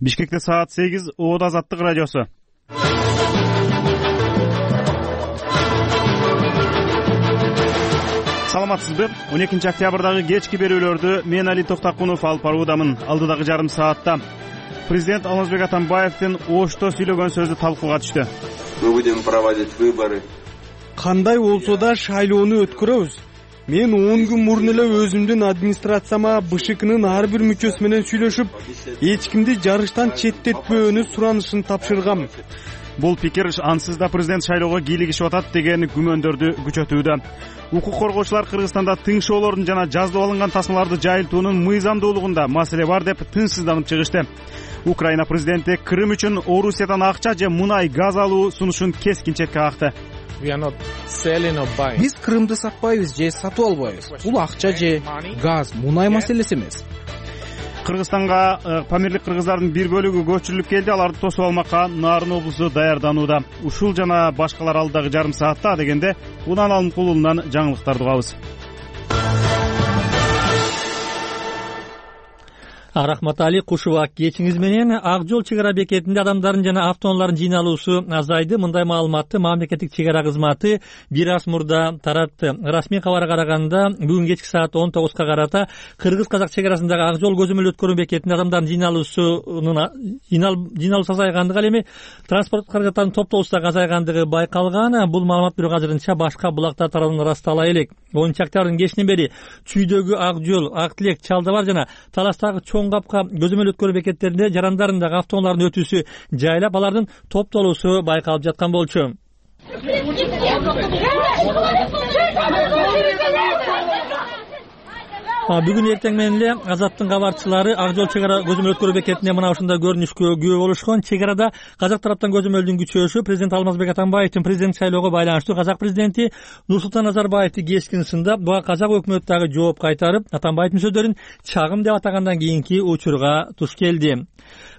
Бишкекте саат 8 Оот Азаттык радиосу. Саламатсызбы? 12 октябрдагы кечки берүүлөрдү мен Али Токтакунов алып баруудамын. Алдыдагы жарым саатта президент Алмазбек Атамбаевдин Ошто сүйлөгөн сөзү талкууга түштү. Мы будем проводить выборы. Кандай болсо да шайлоону өткөрөбүз. Мен 10 күн мурун эле өзүмдүн администрацияма БШКнын ар бир мүчөсү менен сүйлөшүп, эч кимди жарыштан четтетпөөнү суранышын тапшыргам. Бул пикир ансыз да президент шайлоого кийлигишип атат деген күмөндөрдү күчөтүүдө. Укук коргоочулар Кыргызстанда тың шоолордун жана жазылып алынган тасмаларды жайылтуунун мыйзамдуулугунда маселе бар деп тынчсызданып чыгышты. Украина президенти Крым үчүн Орусиядан акча же мунай, газ алуу сунушун кескин четке какты. Биз Крымды сатпайбыз же сатып албайбыз. Бул акча же газ, мунай маселеси эмес. Кыргызстанга памирлик кыргыздардын бир бөлүгү көчүрүлүп келди. Аларды тосуп алмакка Нарын облусу даярданууда. Ушул жана башкалар алдыдагы жарым саатта дегенде Унан Алымкулунан жаңылыктарды угабыз. Рахмат Али, кушубак кечиңиз менен. Ак жол чек ара бекетинде адамдардын жана автоунаалардын жыйналуусу азайды. Мындай маалыматты мамлекеттик чек ара кызматы бир аз мурда таратты. Расмий кабарга караганда, бүгүн кечки саат 19га карата кыргыз-казак чек арасындагы ак жол көзөмөл өткөрүү бекетинде адамдардын жыйналуусу азайгандыгы, ал эми транспорт каражаттарынын топтолуусу азайгандыгы байкалган. Бул маалымат бирок азырынча башка булактар тарабынан ырастала элек. 10 октябрдын кечинен бери Чүйдөгү Ак жол, Ак Тилек, Чалдабар жана Таластагы Чоң Капка көзөмөл өткөрүү бекеттеринде жарандардын автоунаалардын өтүүсү жайлап, алардын топтолуусу байкалып жаткан болчу. Бүгүн эртең менен эле Азаттын кабарчылары Ак жол чек ара көзөмөл өткөрүү бекетинде мына ушундай көрүнүшкө күбө болушкан. Чек арада казак тараптан көзөмөлдүн күчөшү президент Алмазбек Атамбаевдин президент шайлоого байланыштуу казак президенти Нурсултан Назарбаевди кескин сындап, буга казак өкмөтү дагы жооп кайтарып, Атамбаевдин сөздөрүн чагым деп атагандан кийинки учурга туш келди.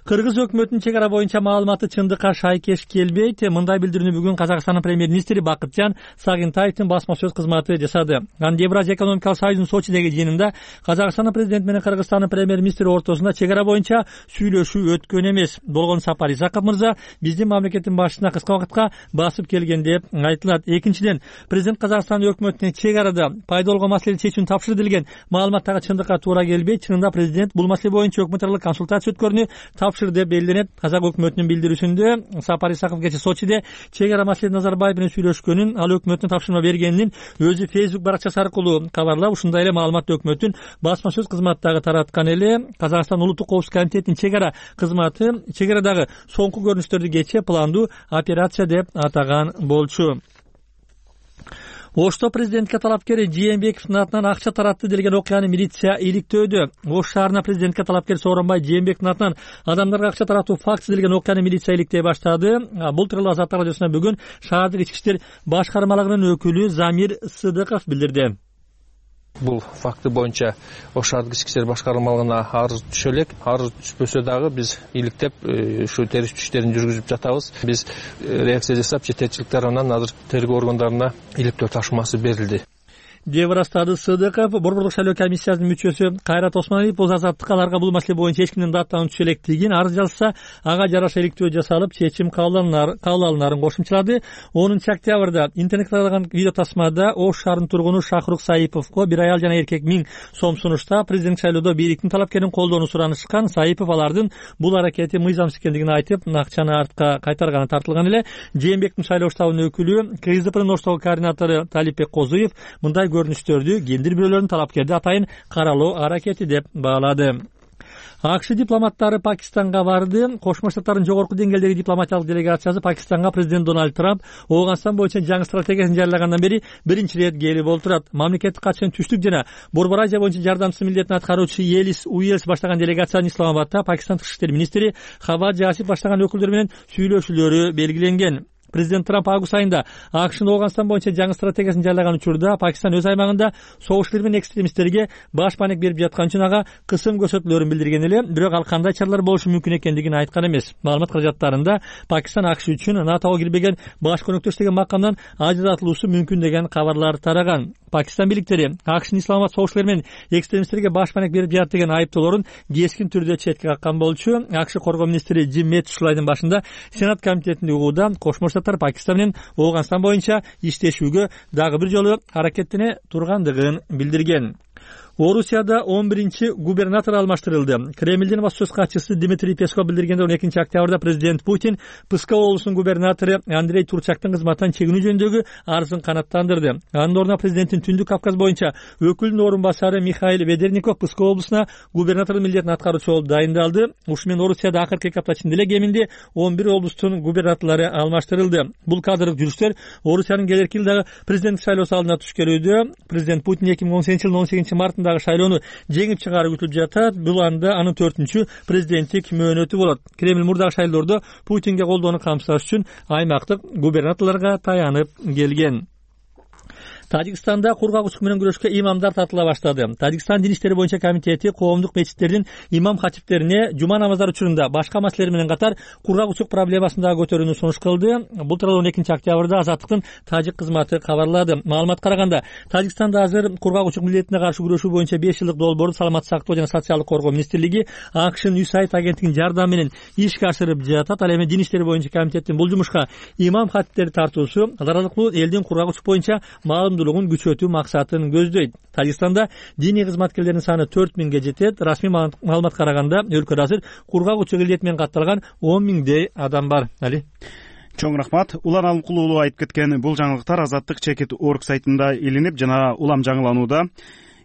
Кыргыз өкмөтүнүн чек ара боюнча маалыматы чындыкка шайкеш келбейт. Мындай билдирүүнү бүгүн Казакстандын премьер-министри Бакытжан Сагынтаевдин басма сөз кызматы жасады. Анда Евразия экономикалык союзунун Сочидеги жыйынында Казакстандын президенти менен Кыргызстандын премьер-министри ортосунда чек ара боюнча сүйлөшүү өткөн эмес. Болгон Сапар Исаков мырза биздин мамлекеттин башчысына кыска убакытка басып келген деп айтылат. Экинчиден, президент Казакстандын өкмөтүнө чек арада пайда болгон маселени чечүүнү тапшырды деген маалыматтагы чындыкка туура келбейт. Чынында президент бул маселе боюнча өкмөт аралык консультация өткөрүүнү тапшырды деп белгиленет. Казак өкмөтүнүн билдирүүсүндө Сапар Исаков кечээ Сочиде чек ара маселеси Назарбаев менен сүйлөшкөнүн, ал өкмөтүнө тапшырма бергенин өзү Facebook баракчасы аркылуу кабарлап, ушундай эле маалыматты өкмөттүн басма сөз кызматтагы тараткан эле. Казакстан улуттук коопсуздук комитетинин чек ара кызматы чек арадагы соңку көрүнүштөрдү кечээ пландуу операция деп атаган болчу. Ошто президентке талапкер Жээнбековдун атынан акча таратты делген окуяны милиция иликтөөдө. Ош шаарына президентке талапкер Сооронбай Жээнбековдун атынан адамдарга акча таратуу фактысы делген окуяны милиция иликтей баштады. Бул тууралуу Азаттык радиосуна бүгүн шаардык ички иштер башкармалыгынын өкүлү Замир Сыдыков билдирди. Бул факты боюнча Ош шаардык ички иштер башкармалыгына арыз түшө элек. Арыз түшпөсө дагы биз иликтеп ушу териштирүү иштерин жүргүзүп жатабыз. Биз реакция жасап жетекчилик тарабынан азыр тергөө органдарына иликтөө тапшырмасы берилди деп ырастады Сыдыков. Борбордук шайлоо комиссиясынын мүчөсү Кайрат Осмоналиев бул Азаттыкка аларга бул маселе боюнча эч кимдин даттануу түшө электигин, арыз жазса ага жараша иликтөө жасалып чечим кабыл алынарын кошумчалады. 10 октябрда интернетке таралган видео тасмада Ош шаарынын тургуну Шахрук Саиповго бир аял жана эркек 1000 сом сунуштап, президент шайлоодо бийликтин талапкерин колдоону суранышкан. Саипов алардын бул аракети мыйзамсыз экендигин айтып, акчаны артка кайтарганы тартылган эле. Жээнбековдун шайлоо штабынын өкүлү КСДПнын Оштогу координатору Талипбек Козуев мындай көрүнүштөрдү кендир бирөөлөрдүн талапкерди атайын каралоо аракети деп баалады. АКШ дипломаттары Пакистанга барды. Кошмо Штаттардын жогорку деңгээлдеги дипломатиялык делегациясы Пакистанга президент Дональд Трамп Ооганстан боюнча жаңы стратегиясын жарыялагандан бери биринчи ирет келип отурат. Мамлекеттик катчынын түштүк жана Борбор Азия боюнча жардамчысы милдетин аткаруучу Елис Уэльс баштаган делегациянын Исламабадта Пакистан тышкы иштер министри Хавад Жасип баштаган өкүлдөр менен сүйлөшүүлөрү белгиленген. Президент Трамп август айында АКШнын Ооганстан боюнча жаңы стратегиясын жарыялаган учурда Пакистан өз аймагында согуштар менен экстремисттерге баш маанек берип жаткан үчүн ага кысым көрсөтүүлөрүн билдирген эле, бирок ал кандай чаралар болушу мүмкүн экендигин айткан эмес. Маалымат каражаттарында Пакистан АКШ үчүн НАТОго кирбеген баш көмөктөш деген макамдан ажыратылуусу мүмкүн деген кабарлар тараган. Пакистан бийликтери АКШнын Исламабад согуштар менен экстремисттерге баш маанек берип жатат деген айыптоолорун кескин түрдө четке каккан болчу. АКШ коргоо министри Джим Мэттис ушул айдын башында Сенат комитетинде угууда Кошмо Штаттар Пакистан менен Ооганстан боюнча иштешүүгө дагы бир жолу аракеттене тургандыгын билдирген. Орусияда 11-губернатор алмаштырылды. Кремлдин баспасөз катчысы Дмитрий Песков билдиргенде 12-октябрда президент Путин Псков облусунун губернатору Андрей Турчактын кызматтан чегинүү жөнүндөгү арызын канааттандырды. Анын ордуна президенттин Түндүк Кавказ боюнча өкүлүнүн орун басары Михаил Ведерников Псков облусуна губернатордун милдетин аткаруучу болуп дайындалды. Ушу менен Орусияда акыркы 2 апта ичинде эле кеминде 11 облустун губернаторлору алмаштырылды. Бул кадрлык жүрүштөр Орусиянын келерки жылдагы президенттик шайлоосу алдына туш келүүдө. Президент Путин 2018-жылдын 18-мартындагы шайлоону жеңип чыгары күтүлүп жатат. Бул анда анын 4-чү президенттик мөөнөтү болот. Кремль мурдагы шайлоодо Путинге колдоону камсыздаш үчүн аймактык губернаторлорго таянып келген. Тажикстанда кургак менен күрөшкө имамдар тартыла баштады. Тажикстан дин иштери боюнча комитети коомдук мечиттердин имам хатиптерине жума намаздар учурунда башка маселелер менен катар кургак проблемасын дагы көтөрүүнү сунуш кылды. Бул тууралуу 12-октябрда Азаттыктын тажик кызматы кабарлады. Маалыматка караганда, Тажикстанда азыр кургак милдетине каршы күрөшүү боюнча 5 жылдык долбоорду Саламаттык сактоо жана социалдык коргоо министрлиги АКШнын USAID агенттигинин жардамы менен ишке ашырып жатат. Ал эми дин иштери боюнча комитеттин бул жумушка имам хатиптерди тартуусу аралыктуу элдин кургак боюнча маалымдуулугун күчөтүү максатын көздөйт. Тажикстанда диний кызматкерлердин саны 4000-ге жетет. Расмий маалыматка караганда өлкөдө азыр кургак илдети менен катталган 10 000 адам бар. Али чоң рахмат. Улан Алымкулуу уулу айтып кеткен бул жаңылыктар Азаттык.org сайтында илинип жана улам жаңыланууда.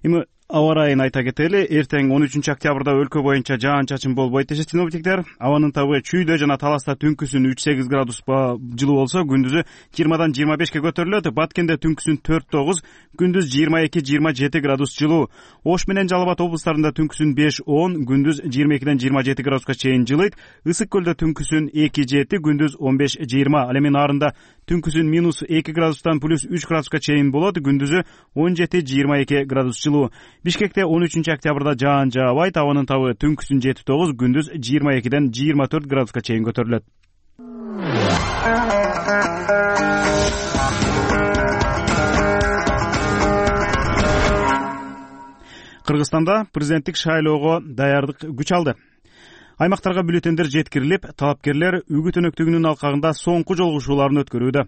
Эми аба ырайын айта кетели. Эртең 13-октябрда өлкө боюнча жаан-чачын болбойт дешет синоптиктер. Абанын табы чүйдө жана таласта түнкүсүн 3-8 градуска жылуу болсо, күндүзү 20-дан 25-ке көтөрүлөт. Баткенде түнкүсүн 4-9, күндүз 22-27 градус жылуу. Ош менен Жалал Абад облустарында түнкүсүн 5-10, күндүз 22-ден 27 градуска чейин жылыйт. Ысык көлдө түнкүсүн 2-7, күндүз 15-20. Ал эми нарында түнкүсүн -2 градустан +3 градуска чейин болот, күндүзү 17-22 градус жылуу. Бишкекте 13-октябрда жаан жаабайт, абанын табы түнкүсүн 7-9, күндүз 22-ден 24 градуска чейин көтөрүлөт. Кыргызстанда президенттик шайлоого даярдык күч алды. Аймактарга бюллетендер жеткирилип, талапкерлер үгүт өнөктүгүнүн алкагында соңку жолугушууларын өткөрүүдө.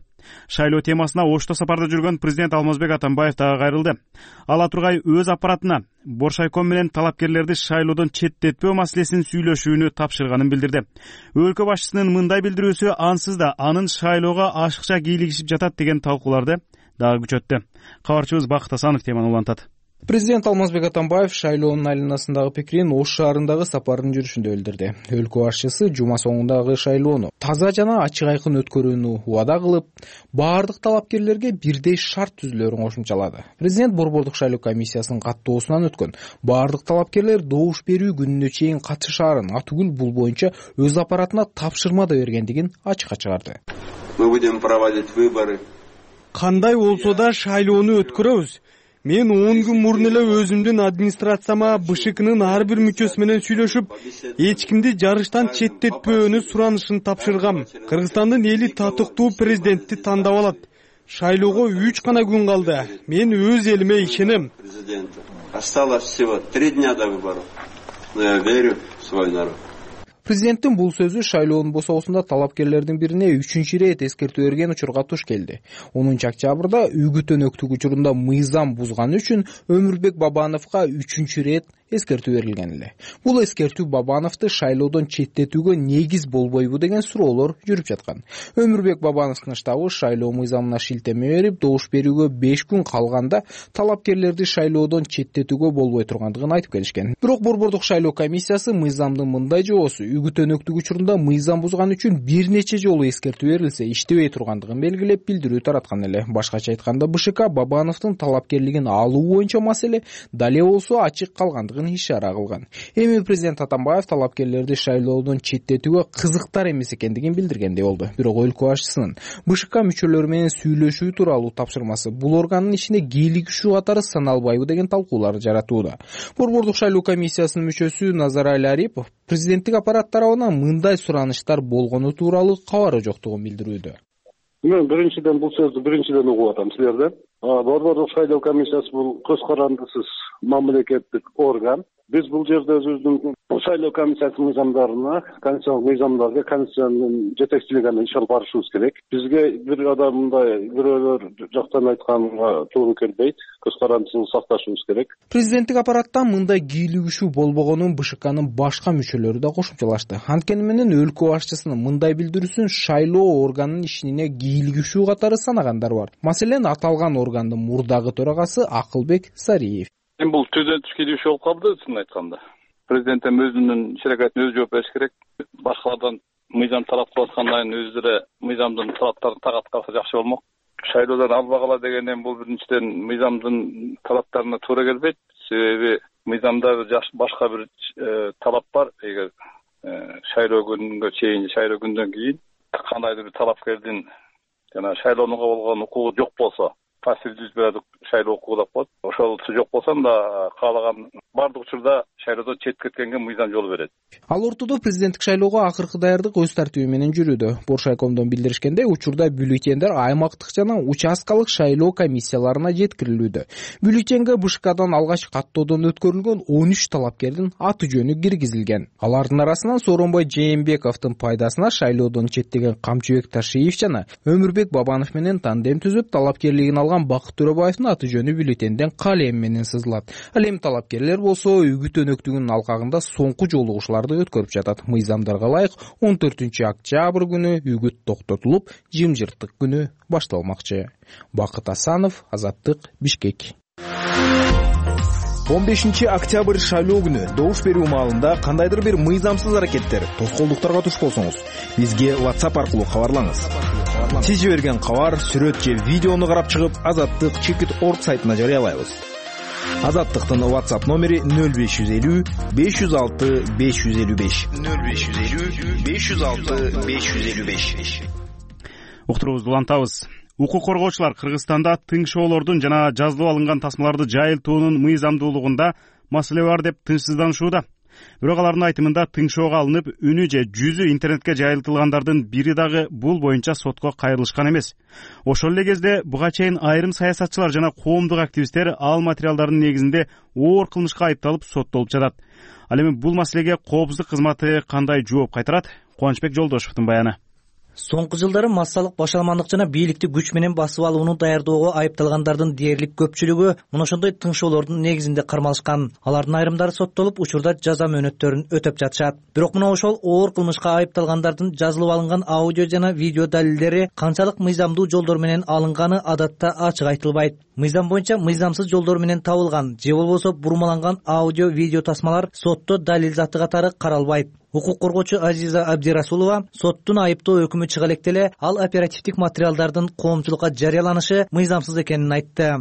Шайлоо темасына Ошто сапарда жүргөн президент Алмазбек Атамбаев дагы кайрылды. Ала тургай өз аппаратына Боршайком менен талапкерлерди шайлоодон четтетпөө маселесин сүйлөшүүнү тапшырганын билдирди. Өлкө башчысынын мындай билдирүүсү ансыз да анын шайлоого ашыкча кийлигишип жатат деген талкууларды дагы күчөттү. Кабарчыбыз Бакыт Асанов теманы улантат. Президент Алмазбек Атамбаев шайлоонун айланасындагы пикирин Ош шаарындагы сапарынын жүрүшүндө билдирди. Өлкө башчысы жума соңундагы шайлоону таза жана ачык айкын өткөрүүнү убада кылып, баардык талапкерлерге бирдей шарт түзүлөрүн кошумчалады. Президент Борбордук шайлоо комиссиясынын каттоосунан өткөн баардык талапкерлер добуш берүү күнүнө чейин катышаарын, атүгүл бул боюнча өз аппаратына тапшырма да бергендигин ачыкка чыгарды. Мы будем проводить выборы. Кандай болсо да шайлоону өткөрөбүз. Мен 10 күн мурун эле өзүмдүн администрацияма БШКнын ар бир мүчөсү менен сүйлөшүп, эч кимди жарыштан четтетпөөнү суранышын тапшыргам. Кыргызстандын эли татыктуу президентти тандап алат. Шайлоого 3 гана күн калды. Мен өз элиме ишенем. Осталось всего 3 дня до выборов. Но я верю в свой народ. Президенттин бул сөзү шайлоонун босоосунда талапкерлердин бирине 3-чү ирет эскертүү берген учурга туш келди. 10-октябрда үгүт өнөктүк учурунда мыйзам бузганы үчүн Өмүрбек Бабановго 3-чү ирет эскертүү берилген эле. Бул эскертүү Бабановду шайлоодон четтетүүгө негиз болбойбу деген суроолор жүрүп жаткан. Өмүрбек Бабановдун штабы шайлоо мыйзамына шилтеме берип, добуш берүүгө 5 күн калганда талапкерлерди шайлоодон четтетүүгө болбой тургандыгын айтып келишкен. Бирок Борбордук шайлоо комиссиясы мыйзамдын мындай жобосу үгүт өнөктүк учурунда мыйзам бузган үчүн бир нече жолу эскертүү берилсе иштебей тургандыгын белгилеп билдирүү тараткан эле. Башкача айтканда БШК Бабановдун талапкерлигин алуу боюнча маселе дале болсо ачык калгандыгын бардыгын ишара кылган. Эми президент Атамбаев талапкерлерди шайлоодон четтетүүгө кызыктар эмес экендигин билдиргендей болду. Бирок өлкө башчысынын БШК мүчөлөрү менен сүйлөшүү тууралуу тапшырмасы бул органдын ишине кийлигишүү катары саналбайбы деген талкуулар жаратууда. Борбордук шайлоо комиссиясынын мүчөсү Назарали Арипов президенттик аппарат тарабынан мындай сураныштар болгону тууралуу кабары жоктугун билдирүүдө. Мен биринчиден бул сөздү биринчиден угуп атам силерден. Борбордук шайлоо комиссиясы бул көз карандысыз мамлекеттик орган. Биз бул жерде өзүбүздүн шайлоо комиссиясынын мыйзамдарына, конституциялык мыйзамдарга, конституциянын жетекчилигине иш алып барышыбыз керек. Бизге бир адамдай бирөөлөр жактан айтканга туура келбейт. Көз карандысыбызды сакташыбыз керек. Президенттик аппараттан мындай кийлигишүү болбогонун БШКнын башка мүчөлөрү да кошумчалашты. Анткени менен өлкө башчысынын мындай билдирүүсүн шайлоо органынын ишине кийлигишүү катары санагандар бар. Маселен, аталган органдын мурдагы төрагасы Акылбек Сариев. Бул түздөн түш кийлигишүү болуп калды, чын айтканда. Президент өзүнүн иш-аракетине өзү жооп бериш керек. Башкалардан мыйзам талап кылып аткандан кийин өздөрү мыйзамдын талаптарын тагат калса жакшы болмок. Шайлоодон албагыла дегенден бул биринчиден мыйзамдын талаптарына туура келбейт. Себеби мыйзамда башка бир талап бар. Эгер шайлоо күнүнгө чейин, шайлоо күндөн кийин кандайдыр бир талапкердин жана шайлоонуга болгон укугу жок болсо, пассивдүү избирательдик шайлоо укугу деп коет. Ошол жок болсо да каалаган бардык учурда шайлоодон чет кеткенге мыйзам жол берет. Ал ортодо президенттик шайлоого акыркы даярдык өз тартиби менен жүрүүдө. Боршайкомдон билдиришкендей, учурда бюллетендер аймактык жана участкалык шайлоо комиссияларына жеткирилүүдө. Бюллетенге БШКдан алгач каттоодон өткөрүлгөн 13 талапкердин аты жөнү киргизилген. Алардын арасынан Сооронбай Жээнбековдун пайдасына шайлоодон четтеген Камчыбек Ташиев жана Өмүрбек Бабанов менен тандем түзүп талапкерлигин алган Бакыт Төрөбаевдин аты жөнү бюллетенден калем менен сызылат. Ал эми талапкерлер болсо үгүт өнөктүгүнүн алкагында соңку жолугушууларды өткөрүп жатат. Мыйзамдарга ылайык 14-октябрь күнү үгүт токтотулуп, жымжырттык күнү башталмакчы. Бакыт Асанов, Азаттык, Бишкек. 15-октябрь шайлоо күнү добуш берүү маалында кандайдыр бир мыйзамсыз аракеттер, тоскоолдуктарга туш болсоңуз, бизге WhatsApp аркылуу кабарлаңыз. Сиз жиберген кабар, сүрөт же видеону карап чыгып, Азаттык.org сайтына жарыялайбыз. Азаттыктын WhatsApp номери 0550 506 555. 0550 506 555. Уктуруубузду улантабыз. Укук коргоочулар Кыргызстанда тыңшоолордун жана жазылып алынган тасмаларды жайылтуунун мыйзамдуулугунда маселе бар деп тынчсызданышууда. Бирок алардын айтымында тыңшоого алынып, үнү же жүзү интернетке жайылтылгандардын бири дагы бул боюнча сотко кайрылышкан эмес. Ошол эле кезде буга чейин айрым саясатчылар жана коомдук активисттер ал материалдардын негизинде оор кылмышка айыпталып соттолуп жатат. Ал эми бул маселеге коопсуздук кызматы кандай жооп кайтарат? Кубанычбек Жолдошевдун баяны. Соңку жылдары массалык башаламандык жана бийликти күч менен басып алууну даярдоого айыпталгандардын дээрлик көпчүлүгү мына ошондой тыңшоолордун негизинде кармалышкан. Алардын айрымдары соттолуп, учурда жаза мөөнөттөрүн өтөп жатышат. Бирок мына ошол оор кылмышка айыпталгандардын жазылып алынган аудио жана видео далилдери канчалык мыйзамдуу жолдор менен алынганы адатта ачык айтылбайт. Мыйзам боюнча мыйзамсыз жолдор менен табылган же болбосо бурмаланган аудио видео тасмалар сотто далил заты катары каралбайт. Укук коргоочу Азиза Абдирасулова соттун айыптоо өкүмү чыга электе эле ал оперативдик материалдардын коомчулукка жарыяланышы мыйзамсыз экенин айтты.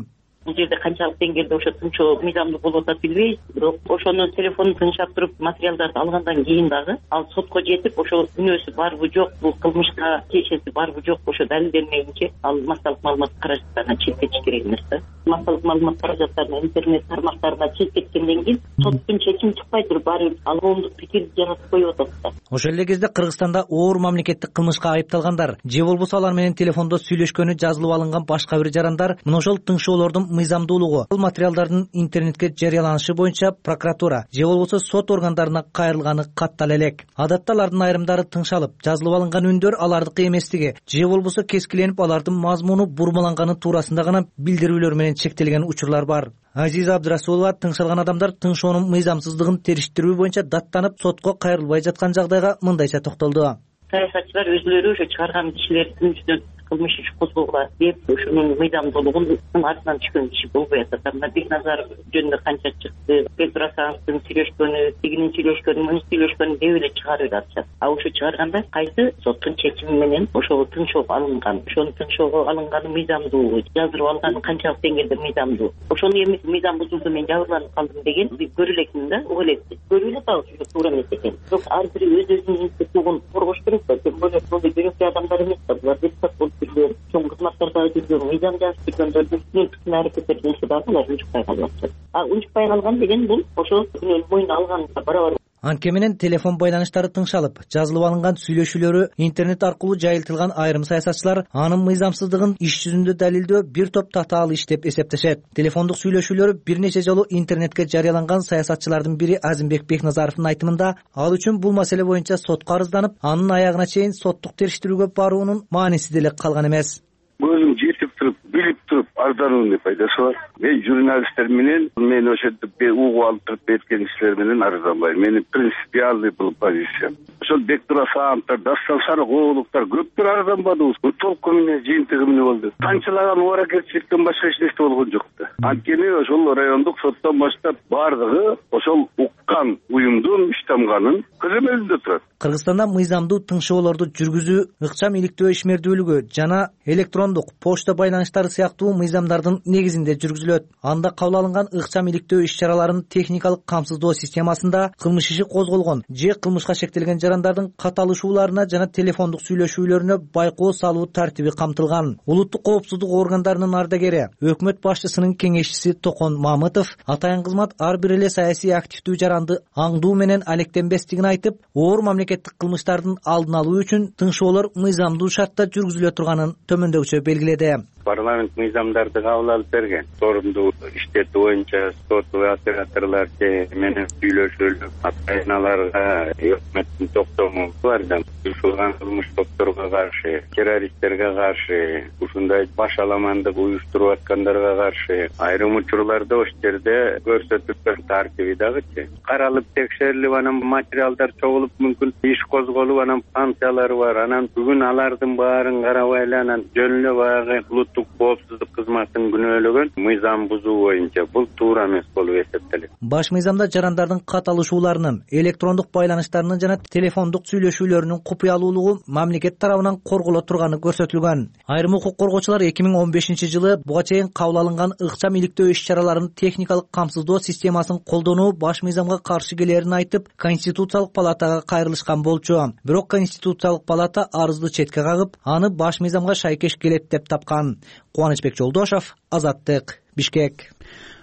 Бул жерде канчалык деңгээлде ошо тыңшоо мыйзамдуу болуп атат билбейбиз, бирок ошону телефондун тыңшап туруп материалдарды алгандан кийин дагы ал сотко жетип, ошо күнөөсү барбы жок, бул кылмышка тиешеси барбы жок, ошо далилденмейинче ал массалык маалымат каражаттарына чет керек эмес да. Массалык маалымат каражаттарына, интернет тармактарына чет кеткенден кийин соттун чечими чыкпай туруп баары ал коомдук пикирди жаратып коюп атат да. Ошол эле кезде Кыргызстанда оор мамлекеттик кылмышка айыпталгандар же болбосо алар менен телефондо сүйлөшкөнү жазылып алынган башка бир жарандар мына ошол тыңшоолордун мыйзамдуулугу, ал материалдардын интернетке жарыяланышы боюнча прокуратура же болбосо сот органдарына кайрылганы каттала элек. Адатта алардын айрымдары тыңшалып, жазылып алынган үндөр алардыкы эместиги же болбосо кескиленип алардын мазмуну бурмаланганы туурасында гана билдирүүлөр менен чектелген учурлар бар. Азиза Абдирасулова тыңшалган адамдар тыңшоонун мыйзамсыздыгын териштирүү боюнча даттанып сотко кайрылбай жаткан жагдайга мындайча токтолду. Саясатчылар өзүлөрү ошо чыгарган кишилердин үстүнөн кылмыш иш козгогула деп ошонун мыйзамдуулугунун артынан түшкөн киши болбой атат. Мына Бекназаров жөнүндө канча чыкты, Петросановдун сүйлөшкөнү, тигинин сүйлөшкөнү, мунун сүйлөшкөнү деп эле чыгарып атышат. А ошо чыгарганда кайсы соттун чечими менен ошого тынчоого алынган, ошонун тынчоого алынганы мыйзамдуу, жаздырып алганы канчалык деңгээлде мыйзамдуу. Ошону эми мыйзам бузулду, мен жабырланып калдым деген көрө элекмин да, угуп элекмин. Көрүп эле дагы ушул туура эмес экен. Бирок ар бири өз-өзүнүн институтун коргош керек да. Тем более бул бирөктүү адамдар эмес да, булар депутат болуп жүргөн, чоң кызматтарда жүргөн, мыйзам жазып жүргөндөрдүн түшүнүктүү аракеттери болсо дагы булар унчукпай калып атышат. А унчукпай калган деген бул ошол күнөөнү мойнуна алганга барабар. Анткени менен телефон байланыштары тыңшалып, жазылып алынган сүйлөшүүлөрү интернет аркылуу жайылтылган айрым саясатчылар анын мыйзамсыздыгын иш жүзүндө далилдөө бир топ татаал иш деп эсептешет. Телефондук сүйлөшүүлөрү бир нече жолу интернетке жарыяланган саясатчылардын бири Азимбек Бекназаровдун айтымында, ал үчүн бул маселе боюнча сотко арызданып, анын аягына чейин соттук териштирүүгө баруунун мааниси деле калган эмес. Өзүм жетип туруп, билип туруп арыздануунун пайдасы бар. Мен журналисттер менен, мен ошентип угуп алып туруп берген кишилер менен арызданбайм. Менин принципиальный бул позициям. Ошол Бектурасановдор, Дастан Сарыгуловдор көптөр арызданбадыбыз. Толку менен жыйынтыгы менен болду. Канчалаган ооракетчиликтен башка эч нерсе болгон жок да. Анткени ошол райондук соттон баштап бардыгы ошол уккан уюмдун иштамганын көзөмөлүндө турат. Кыргызстанда мыйзамдуу тыңшоолорду жүргүзүү, ыкчам иликтөө ишмердүүлүгү жана электрондук почта байланыштары сыяктуу мыйзамдардын негизинде жүргүзүлөт. Анда кабыл алынган ыкчам иликтөө иш-чараларын техникалык камсыздоо системасында кылмыш иши козголгон же кылмышка шектелген жарандардын каталышууларына жана телефондук сүйлөшүүлөрүнө байкоо салуу тартиби камтылган. Улуттук коопсуздук органдарынын ардагери, өкмөт башчысынын кеңешчиси Токон Мамытов атайын кызмат ар бир эле саясий активдүү жаранды аңдуу менен алектенбестигин айтып, оор мамлекеттик кылмыштардын алдын алуу үчүн тыңшоолор мыйзамдуу шартта жүргүзүлө турганын төмөндөгүчө белгиледи. Парламент мыйзамдарды кабыл алып берген. Сорунду иштетүү боюнча сотуу операторлор менен сүйлөшөлүп, атайыналарга өкмөттүн токтому бардым. Ушулган кылмыш топторго каршы, террористтерге каршы, ушундай башаламандык уюштуруп аткандарга каршы айрым учурларда ошол жерде көрсөтүлгөн тартиби дагычы. Каралып текшерилип, анан материалдар чогулуп, мүмкүн иш козголуп, анан санкциялары бар. Анан бүгүн алардын баарын карабай эле анан жөн эле баягы улуттук коопсуздук кызматын күнөөлөгөн мыйзам бузуу боюнча бул туура эмес болуп эсептелет. Баш мыйзамда жарандардын каталышууларынын, электрондук байланыштарынын жана телефондук сүйлөшүүлөрүнүн купуялуулугу мамлекет тарабынан корголо турганы көрсөтүлгөн. Айрым укук коргоочулар 2015-жылы буга чейин кабыл алынган ыкчам иликтөө иш-чараларынын техникалык камсыздоо системасын колдонуу баш мыйзамга каршы келерин айтып, Конституциялык палатага кайрылышкан болчу. Бирок Конституциялык палата арызды четке кагып, аны баш мыйзамга шайкеш келет деп тапкан. Кубанычбек Жолдошов, Азаттык, Бишкек.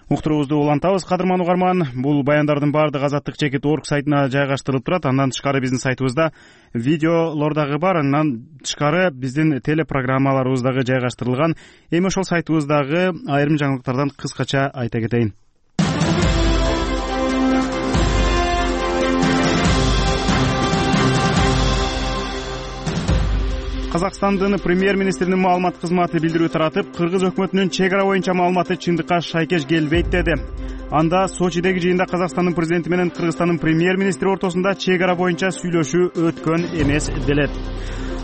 Уктуруубузду улантабыз, кадырман угарман. Бул баяндардын баардыгы Азаттык чекит орг сайтына жайгаштырылып турат. Андан тышкары биздин сайтыбызда видеолор дагы бар. Андан тышкары биздин телепрограммаларыбыз дагы жайгаштырылган. Эми ошол сайтыбыздагы айрым жаңылыктардан кыскача айта кетейин. Казакстандын премьер-министринин маалымат кызматы билдирүү таратып, кыргыз өкмөтүнүн чек ара боюнча маалыматы чындыкка шайкеш келбейт деди. Анда Сочидеги жыйында Казакстандын президенти менен Кыргызстандын премьер-министри ортосунда чек ара боюнча сүйлөшүү өткөн эмес делет.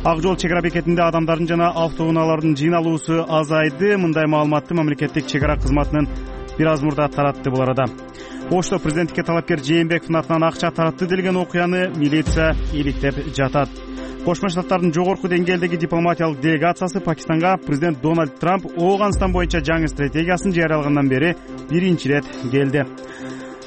Ак жол чек ара бекетинде адамдардын жана автоунаалардын жыйналуусу азайды. Мындай маалыматты мамлекеттик чек ара кызматынын бир аз мурда таратты бул арада. Ошто президенттикке талапкер Жээнбековдун атынан акча таратты делген окуяны милиция иликтеп жатат. Кошмо Штаттардын жогорку деңгээлдеги дипломатиялык делегациясы Пакистанга президент Дональд Трамп Ооганстан боюнча жаңы стратегиясын жарыялагандан бери биринчи ирет келди.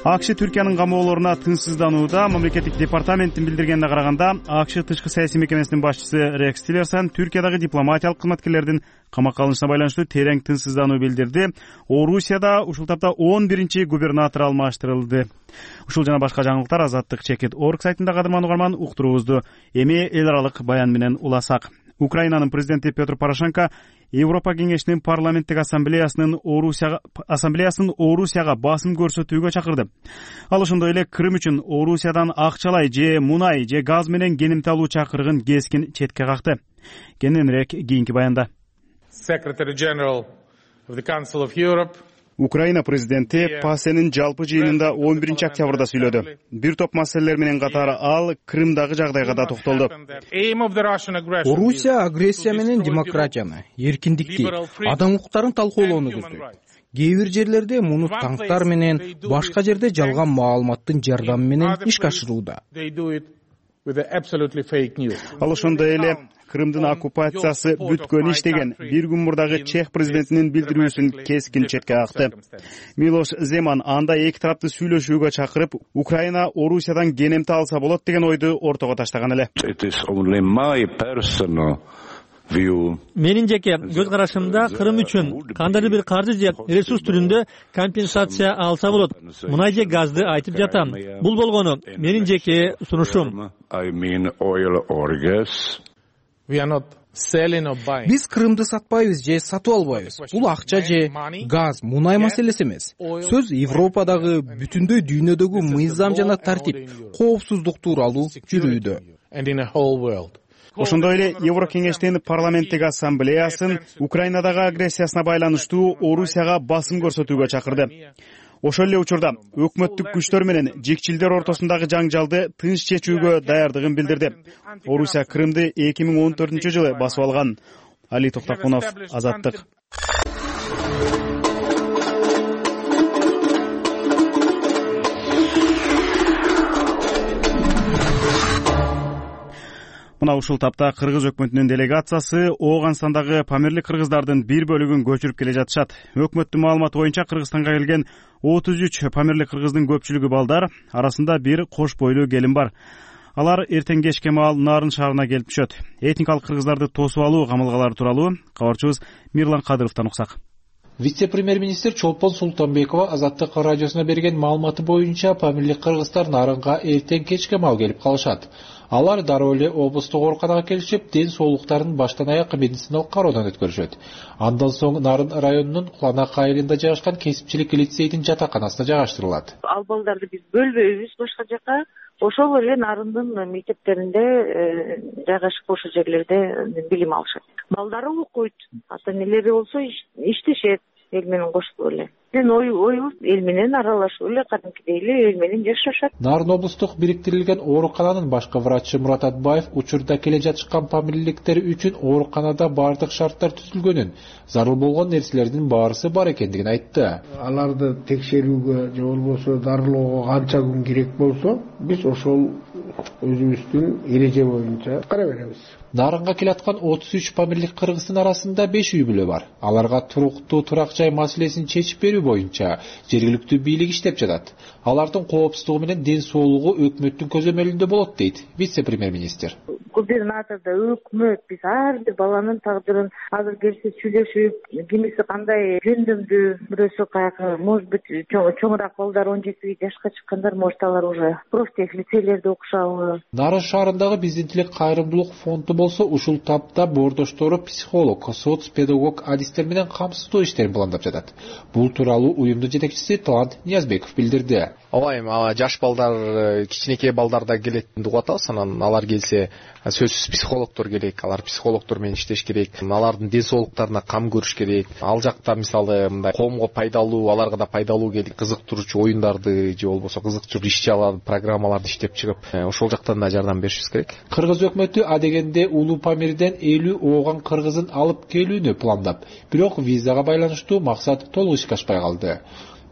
АКШ Түркиянын камоолоруна тынчсызданууда. Мамлекеттик департаменттин билдиргенине караганда, АКШ тышкы саясий мекемесинин башчысы Рекс Тиллерсон Түркиядагы дипломатиялык кызматкерлердин камакка алынышына байланыштуу терең тынчсыздануу билдирди. Орусияда ушул тапта 11-чи губернатор алмаштырылды. Ушул жана башка жаңылыктар Азаттык чекит орг сайтында кадырман угарман. Уктуруубузду эми эл аралык баян менен уласак. Украинанын президенти Петр Порошенко Европа кеңешинин парламенттик ассамблеясынын Орусияга басым көрсөтүүгө чакырды. Ал ошондой эле Крым үчүн Орусиядан акчалай же мунай же газ менен кенемти алуу чакырыгын кескин четке какты. Кененирээк кийинки баянда. Secretary General of the Council of Europe Украина президенти ПАСЕнин жалпы жыйынында 11 октябрда сүйлөдү. Бир топ маселелер менен катары ал Крымдагы жагдайга да токтолду. Орусия агрессия менен демократияны, эркиндикти, адам укуктарын талкуулоону көздөйт. Кээ бир жерлерде муну танктар менен, башка жерде жалган маалыматтын жардамы менен ишке ашырууда. Ал ошондой эле Крымдын оккупациясы бүткөн иш деген бир күн мурдагы Чех президентинин билдирүүсүн кескин четке какты. Милош Земан анда эки тарапты сүйлөшүүгө чакырып, Украина Орусиядан кенемти алса болот деген ойду ортого таштаган эле. Менин жеке көз карашымда Крым үчүн кандайдыр бир каржы же ресурс түрүндө компенсация алса болот. Мунай же газды айтып жатам. Бул болгону менин жеке сунушум. Биз Крымды сатпайбыз же сатып албайбыз. Бул акча же газ, мунай маселеси эмес. Сөз Европадагы, бүтүндөй дүйнөдөгү мыйзам жана тартип, коопсуздук тууралуу жүрүүдө. Ошондой эле Еврокеңештин парламенттик ассамблеясын Украинадагы агрессиясына байланыштуу Орусияга басым көрсөтүүгө чакырды. Ошол эле учурда өкмөттүк күчтөр менен жекчилдер ортосундагы жаңжалды тынч чечүүгө даярдыгын билдирди. Орусия Крымды 2014-жылы басып алган. Али Токтокунов, Азаттык. Мына ушул тапта Кыргыз өкмөтүнүн делегациясы Ооганстандагы Памирлик кыргыздардын бир бөлүгүн көчүрүп келе жатышат. Өкмөттүн маалыматы боюнча Кыргызстанга келген 33 Памирлик кыргыздын көпчүлүгү балдар, арасында бир кош бойлуу келин бар. Алар эртең кечке маал Нарын шаарына келип түшөт. Этникалык кыргыздарды тосуп алуу камылгалары тууралуу кабарчыбыз Мирлан Кадыровдон уксак. Вице-премьер-министр Чолпон Султанбекова Азаттык радиосуна берген маалыматы боюнча Памирлик кыргыздар Нарынга эртең кечке маал келип калышат. Алар дароо эле облустук ооруканага келишип, ден соолуктарын баштан аяк медициналык кароодон өткөрүшөт. Андан соң Нарын районунун Куланак айылында жайгашкан кесипчилик лицейдин жатаканасына жайгаштырылат. Ал балдарды биз бөлбөйбүз башка жака. Ошол эле Нарындын мектептеринде жайгашып ошол жерлерде билим алышат. Балдары окуйт, ата-энелери болсо иштешет эл менен кошулуп эле. Оюбуз эл менен аралашып эле кадимкидей эле эл менен жашашат. Нарын облустук бириктирилген оорукананын башкы врачы Мурат Атбаев учурда келе жатышкан памирликтер үчүн ооруканада бардык шарттар түзүлгөнүн, зарыл болгон нерселердин баарысы бар экендигин айтты. Аларды текшерүүгө же болбосо дарылоого канча күн керек болсо, биз ошол өзүбүздүн эреже боюнча кара беребиз. Нарынга келаткан 33 памирлик кыргыздын арасында 5 үй бүлө бар. Аларга туруктуу турак жай маселесин чечип берүү боюнча жергиликтүү бийлик иштеп жатат. Алардын коопсуздугу менен ден соолугу өкмөттүн көзөмөлүндө болот дейт вице-премьер-министр. Губернатордо өкмөт биз ар бир баланын тагдырын азыр келсе сүйлөшүп, кимиси кандай жөндөмдүү, бирөөсү каяка, может быть, чоңураак балдар 17 жашка чыккандар, может алар уже профтех лицейлерде окушабы. Нарын шаарындагы Биздин тилек кайрымдуулук фонду болсо ушул тапта боордоштору психолог, соц-педагог адистер менен камсыздоо иштерин пландап жатат. Бул тууралуу уюмдун жетекчиси Талант Ниязбеков билдирди. Ооба, жаш балдар, кичинекей балдар да келет деп атабыз. Анан алар келсе, сөзсүз психологдор керек. Алар психологдор менен иштеш керек. Алардын ден соолуктарына кам көрүш керек. Ал жакта мисалы мындай коомго пайдалуу, аларга да пайдалуу келип кызыктыруучу оюндарды же болбосо кызыктыруучу иш-чараларды, программаларды иштеп чыгып, ошол жактан да жардам беришибиз керек. Кыргыз өкмөтү адегенде Улуу Памирден 50 ооган кыргызын алып келүүнү пландап, бирок визага байланыштуу максат толук ишке ашпай калды.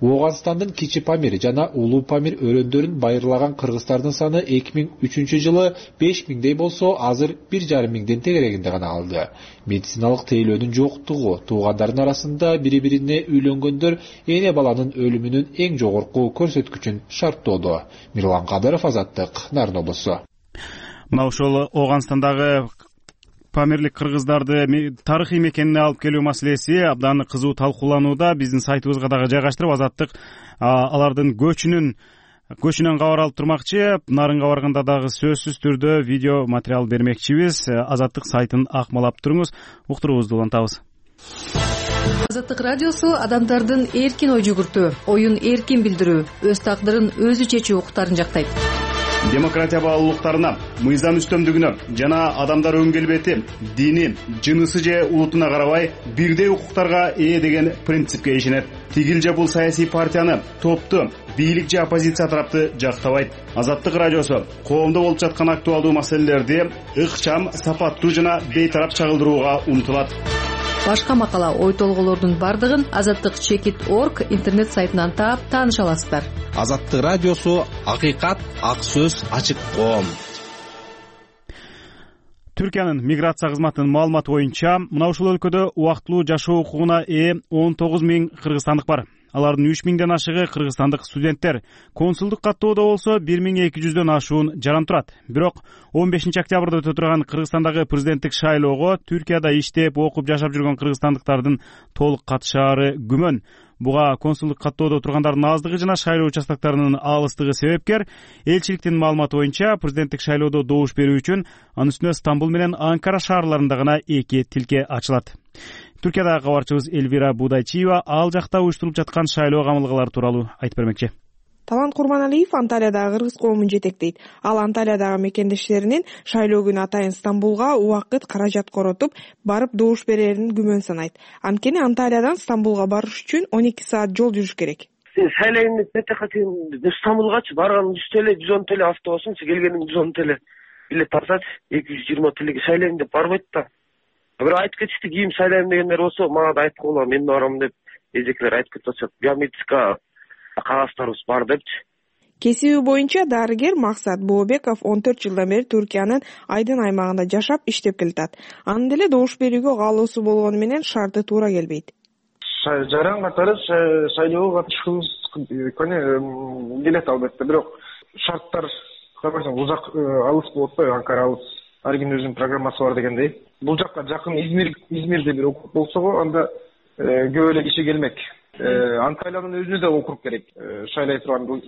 Ооганстандын Кичи Памир жана Улуу Памир өрөөндөрүн байырлаган кыргыздардын саны 2003-жылы 5000дей болсо, азыр 1,5 тегерегинде гана калды. Медициналык тейлөөнүн жоктугу, туугандардын арасында бири-бирине үйлөнгөндөр эне баланын өлүмүнүн эң жогорку көрсөткүчүн шарттоодо. Мирлан Кадыров, Азаттык, Нарын облусу. Мына ошол Ооганстандагы Памирлик кыргыздарды тарыхый мекенине алып келүү маселеси абдан кызуу талкууланууда. Биздин сайтыбызга дагы жайгаштырып, Азаттык алардын көчүнөн кабар алып турмакчы. Нарынга барганда дагы сөзсүз түрдө видео материал бермекчибиз. Азаттык сайтын акмалап туруңуз, уктуруубузду улантабыз. Азаттык радиосу адамдардын эркин ой жүгүртүү, оюн эркин билдирүү, өз тагдырын өзү чечүү укуктарын жактайт. демократия баалуулуктарына, мыйзам үстөмдүгүнө жана адамдар өң келбети, дини, жынысы же улутуна карабай бирдей укуктарга ээ деген принципке ишенет. Тигил же бул саясий партияны, топту, бийлик же оппозиция тарапты жактабайт. Азаттык радиосу коомдо болуп жаткан актуалдуу маселелерди ыкчам, сапаттуу жана бейтарап чагылдырууга умтулат. Башка макала, ой толгоолордун бардыгын azattik.org интернет сайтынан таап тааныша аласыздар. Азаттык радиосу акыйкат, ак сөз, ачык коом. Түркиянын миграция кызматынын маалыматы боюнча, мына ушул өлкөдө убактылуу жашоо укугуна ээ 19 000 кыргызстандык бар. Алардын 3 000ден ашыгы кыргызстандык студенттер. Консулдук каттоодо болсо 1200дөн ашуун жаран турат. Бирок 15 октябрда өтө турган Кыргызстандагы президенттик шайлоого Түркияда иштеп, окуп жашап жүргөн кыргызстандыктардын толук катышаары күмөн. Буга консулдук каттоодо тургандардын аздыгы жана шайлоо участоктарынын алыстыгы себепкер. Элчиликтин маалыматы боюнча, президенттик шайлоодо добуш берүү үчүн анын үстүнө Стамбул менен Анкара шаарларында гана 2 тилке ачылат. Түркиядагы кабарчыбыз Эльвира Будайчиева ал жакта уюштурулуп жаткан шайлоо камылгалары тууралуу айтып бермекчи. Талант Курманалиев Анталиядагы кыргыз коомун жетектейт. Ал Анталиядагы мекендештеринин шайлоо күнү атайын Стамбулга убакыт, каражат коротуп, барып добуш берерин күмөн санайт. Анткени Анталиядан Стамбулга барыш үчүн 12 саат жол жүрүш керек. Шайлайын Стамбулгачы барган 100 TL, 110 TL автобусун, келгенин 110 TL билет алсачы, 220 TL шайлайын деп барбайт да. Бирок айтып кетишти, кийин шайлайын дегендер болсо, мага да айтып койгула, мен барам деп, эжекелер айтып кетип атышат. Биометрика кагаздарыбыз бар депчи. Кесиби боюнча дарыгер Максат Бообеков 14 жылдан бери Түркиянын Айдын аймагында жашап, иштеп келатат. Анын деле добуш берүүгө каалоосу болгону менен шарты туура келбейт. Жаран катары шайлоого катышкыбыз келет албетте, бирок шарттар карабайсаң узак алыс болот да, Анкара алыс. Ар кимдин өзүнүн программасы бар дегендей. Бул жакка жакын Измирде бир округ болсо, анда көп эле киши келмек. Анталиянын өзүнө да округ керек. Шайлай турган бул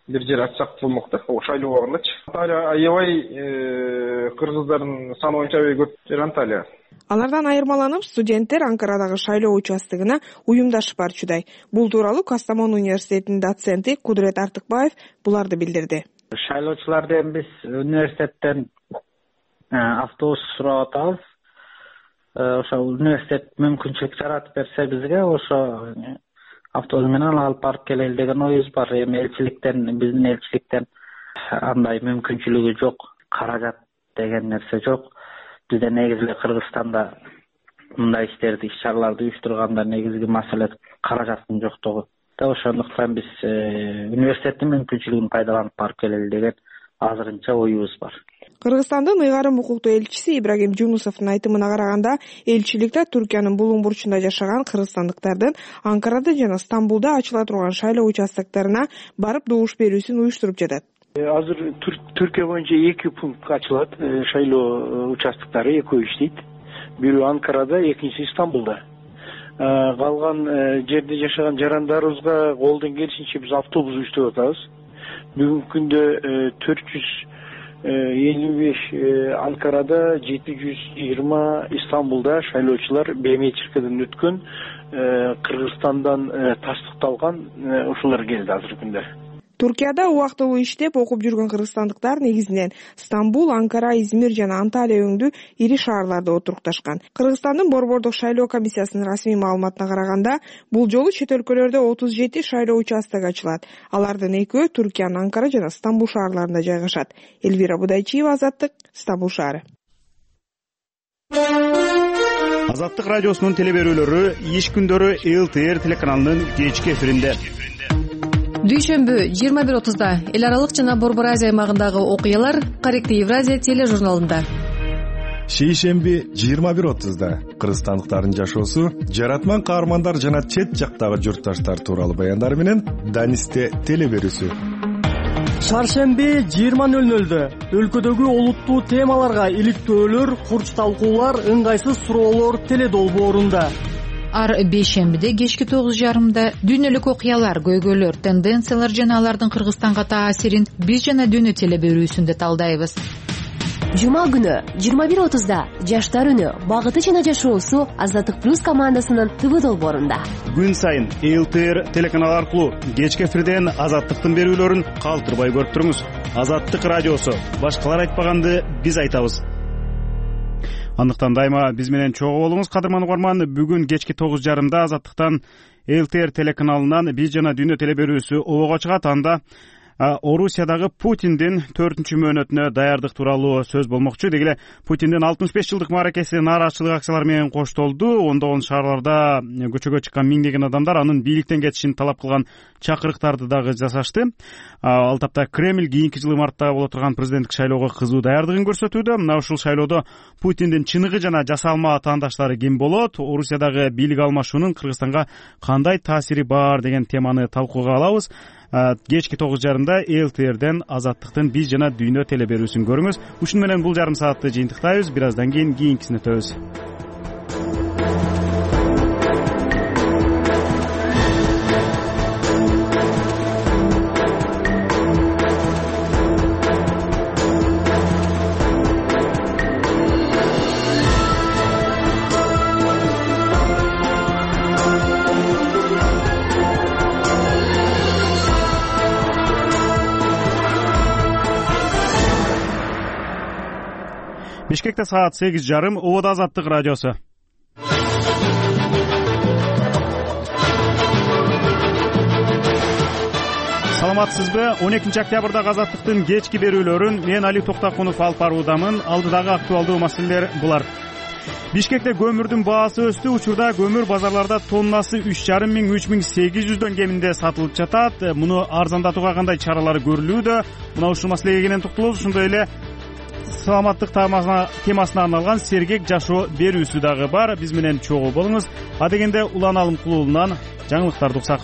бир жер ачсак болмок да, шайлоо убагындачы. Анталия аябай кыргыздардын саны боюнча көп жер Анталия. Алардан айырмаланып, студенттер Анкарадагы шайлоо участогуна уюмдашып барчудай. Бул тууралуу Кастамон университетинин доценти Кудрет Артыкбаев буларды билдирди. Шайлоочулардан биз университеттен автобус сурап атабыз. Ошо университет мүмкүнчүлүк жаратып берсе бизге, ошо автобус менен алып барып келели деген оюбуз бар. Эми биздин элчиликтен андай мүмкүнчүлүгү жок, каражат деген нерсе жок. Бизде негизи эле Кыргызстанда мындай иш-чараларды уюштурганда негизги маселе каражаттын жоктугу. Ошондуктан биз университеттин мүмкүнчүлүгүн пайдаланып барып келели деген азырынча оюбуз бар. Кыргызстандын ыйгарым укуктуу элчиси Ибрагим Жунусовдун айтымына караганда, элчиликте Түркиянын булуң бурчунда жашаган кыргызстандыктардын Анкарада жана Стамбулда ачыла турган шайлоо участокторуна барып добуш берүүсүн уюштуруп жатат. Азыр Түркия боюнча 2 пункт ачылат, шайлоо участоктору экөө иштейт. Бирөө Анкарада, экинчиси Стамбулда. Калган жерде жашаган жарандарыбызга колдон келишинче биз автобус уюштуруп атабыз. Бүгүнкү күндө 455 Анкарада, 720 Истамбулда шайлоочулар биометрикадан өткөн, Кыргызстандан тастыкталган ушулар келди азыркы күндө. Түркияда убактылуу иштеп, окуп жүргөн кыргызстандыктар негизинен Стамбул, Анкара, Измир жана Анталия өңдүү ири шаарларда отурукташкан. Кыргызстандын Борбордук шайлоо комиссиясынын расмий маалыматына караганда, бул жолу чет өлкөлөрдө 37 шайлоо участогу ачылат. Алардын экөө Түркиянын Анкара жана Стамбул шаарларында жайгашат. Эльвира Будайчиева, Азаттык, Стамбул шаары. Азаттык радиосунун телеберүүлөрү иш күндөрү ЛТР телеканалынын кечки эфиринде. Дүйшөмбү 21:30-да эл аралык жана Борбор Азия аймагындагы окуялар Корректив Евразия тележурналында. Шейшемби 21:30-да кыргызстандыктардын жашоосу, жаратман каармандар жана чет жактагы журтташтар тууралуу баяндар менен Данисте телеберүүсү. Шаршемби 20:00-дө өлкөдөгү олуттуу темаларга иликтөөлөр, курч талкуулар, ыңгайсыз суроолор теледолбоорунда. Ар бейшембиде кечки 9:30-да дүйнөлүк окуялар, көйгөйлөр, тенденциялар жана алардын Кыргызстанга таасирин биз жана дүйнө телеберүүсүндө талдайбыз. Жума күнү 21:30 Жаштар үнү багыты жана жашоосу Азаттык плюс командасынын ТВ долбоорунда. Күн сайын ЛТР телеканалы аркылуу кечки эфирден Азаттыктын берүүлөрүн калтырбай көрүп туруңуз. Азаттык радиосу. Башкалар айтпаганды биз айтабыз. Андыктан дайыма биз менен чогуу болуңуз, кадырман угарман. Бүгүн кечки 9:30 Азаттыктан ЛТР телеканалынан биз жана дүйнө телеберүүсү обого чыгат. Анда Орусиядагы Путиндин 4-чү мөөнөтүнө даярдык тууралуу сөз болмокчу. Деги эле Путиндин 65 жылдык мааракеси нааразычылык акциялары менен коштолду. Ондогон шаарларда көчөгө чыккан миңдеген адамдар анын бийликтен кетишин талап кылган чакырыктарды дагы жасашты. Ал тапта Кремль кийинки жылы мартта боло турган президенттик шайлоого кызуу даярдыгын көрсөтүүдө. Мына ушул шайлоодо Путиндин чыныгы жана жасалма атаандаштары ким болот? Орусиядагы бийлик алмашуунун Кыргызстанга кандай таасири бар деген теманы талкууга алабыз. Кечки 9:30 ЛТРден Азаттыктын биз жана дүйнө телеберүүсүн көрүңүз. Ушуну менен бул жарым саатты жыйынтыктайбыз. Бир аздан кийин кийинкисине өтөбүз. Бишкекте саат 8:30. Ободо Азаттык радиосу. Саламатсызбы? 12 октябрда Азаттыктын кечки берүүлөрүн мен Али Токтакунов алып баруудамын. Алдыдагы актуалдуу маселелер булар. Бишкекте көмүрдүн баасы өстү. Учурда көмүр базарларда тоннасы 3,5 миң 3,800 кеминде сатылып жатат. Муну арзандатууга кандай чаралар көрүлүүдө? Мына ушул маселеге кенен токтолобуз. Ошондой эле саламаттык темасына арналган сергек жашоо берүүсү дагы бар. Биз менен чогуу болуңуз. Адегенде Улан Алымкулуулунан жаңылыктарды уксак.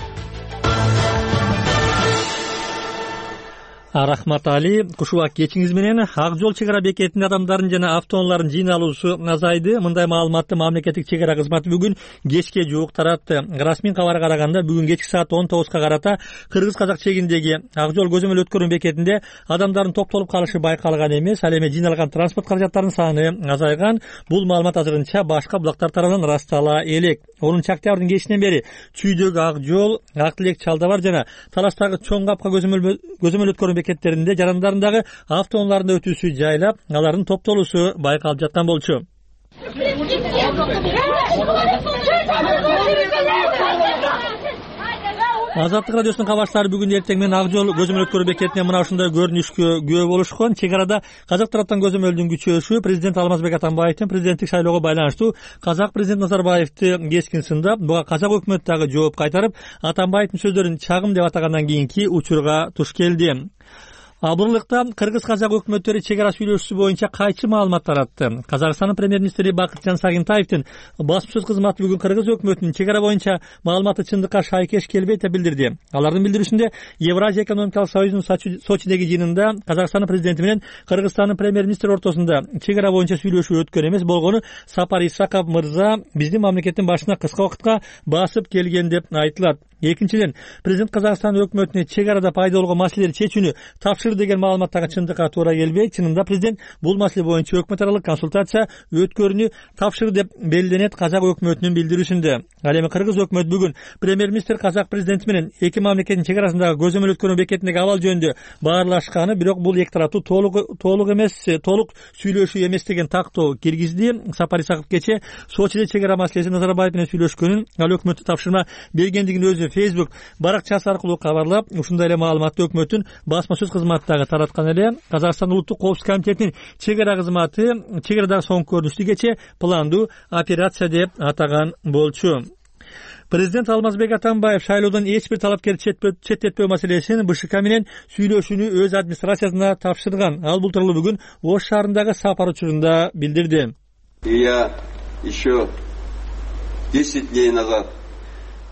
Рахмат Али. Кушубак кечиңиз менен Ак жол чек ара бекетинде адамдардын жана автоунаалардын жыйналуусу азайды. Мындай маалыматты мамлекеттик чек ара кызматы бүгүн кечке жуук таратты. Расмий кабарга караганда бүгүн кечки саат 19 карата кыргыз-казак чегиндеги Ак жол көзөмөл өткөрүү бекетинде адамдардын топтолуп калышы байкалган эмес. Ал эми жыйналган транспорт каражаттарынын саны азайган. Бул маалымат азырынча башка булактар тарабынан ырастала элек. 10 октябрдын кечинен бери Чүйдөгү Ак жол, Ак Тилек, Чалдабар жана Таластагы Чоң Капка көзөмөл өткөрүү бекеттеринде жарандардагы автоунааларында өтүүсү жайлап, алардын топтолуусу байкалып жаткан болчу. Азаттык радиосунун кабарчылары бүгүн эртең менен Ак жол көзөмөл өткөрүү бекетине мына ушундай көрүнүшкө күбө болушкан. Чек арада казак тараптан көзөмөлдүн күчөшү президент Алмазбек Атамбаевдин президенттик шайлоого байланыштуу казак президент Назарбаевди кескин сындап, буга казак өкмөтү дагы жооп кайтарып, Атамбаевдин сөздөрүн чагым деп атагандан кийинки учурга туш келди. Абырлыкта кыргыз-казак өкмөттөрү чек ара сүйлөшүүсү боюнча кайчы маалымат таратты. Казакстандын премьер-министри Бакытжан Сагынтаевдин басмасөз кызматы бүгүн кыргыз өкмөтүнүн чек ара боюнча маалыматы чындыкка шайкеш келбейт деп билдирди. Алардын билдирүүсүндө Евразия экономикалык союзунун Сочидеги жыйынында Казакстандын президенти менен Кыргызстандын премьер-министри ортосунда чек ара боюнча сүйлөшүү өткөн эмес, болгону Сапар Исаков мырза биздин мамлекеттин башына кыска убакытка басып келген деп айтылат. Экинчиден, президент Казакстан өкмөтүнө чек арада пайда болгон маселелерди чечүүнү тапшырды деген маалыматтагы чындыкка туура келбейт. Чынында президент бул маселе боюнча өкмөт аралык консультация өткөрүүнү тапшырды деп белгиленет казак өкмөтүнүн билдирүүсүндө. Ал эми кыргыз өкмөтү бүгүн премьер-министр казак президенти менен эки мамлекеттин чек арасындагы көзөмөл өткөрүү бекетиндеги абал жөнүндө баарлашканы, бирок бул эки тараптуу толук сүйлөшүү эмес деген тактоо киргизди. Сапар Исаков кечээ Сочиде чек ара маселеси Назарбаев менен сүйлөшкөнүн, ал өкмөттү тапшырма бергендигин өзү Facebook баракчасы аркылуу кабарлап, ушундай эле маалыматты өкмөттүн басма сөз кызматтагы тараткан эле. Казакстан улуттук коопсуздук комитетинин чек ара кызматы чек арадагы соңку көрүнүштү кечээ пландуу операция деп атаган болчу. Президент Алмазбек Атамбаев шайлоодон эч бир талапкерди четтетпөө маселесин БШК менен сүйлөшүүнү өз администрациясына тапшырган. Ал бул тууралуу бүгүн Ош шаарындагы сапар учурунда билдирди. Я еще 10 дней назад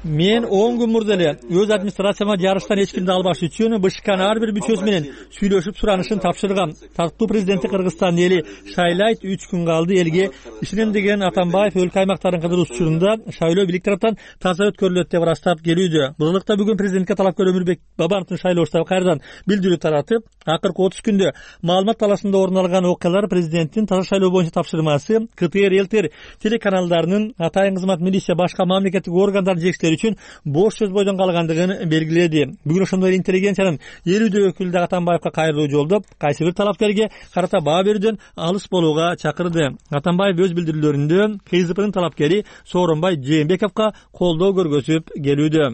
мен 10 күн мурда эле өз администрацияма жарыштан эч кимди албаш үчүн БШКнын ар бир мүчөсү менен сүйлөшүп суранышын тапшыргам. Тартуу президенти Кыргызстан эли шайлайт 3 күн калды. Элге ишенем деген Атамбаев өлкө аймактарын кыдыруу учурунда шайлоо бийлик тараптан таза өткөрүлөт деп ырастап келүүдө. Бузулукта бүгүн президентке талапкер Өмүрбек Бабановдун шайлоо штабы кайрадан билдирүү таратып, акыркы 30 күндө маалымат талашында орун алган окуялар президенттин таза шайлоо боюнча тапшырмасы КТР, ЛТР телеканалдарынын атайын кызмат, милиция, башка мамлекеттик органдардын жетекчилери үчүн бош сөз бойдон калгандыгын белгиледи. Бүгүн ошондой эле интеллигенциянын 50 өкүлү да Атамбаевка кайрылуу жолдоп, кайсы бир талапкерге карата баа берүүдөн алыс болууга чакырды. Атамбаев өз билдирүүлөрүндө КСДПнын талапкери Сооронбай Жээнбековго колдоо көргөзүп келүүдө.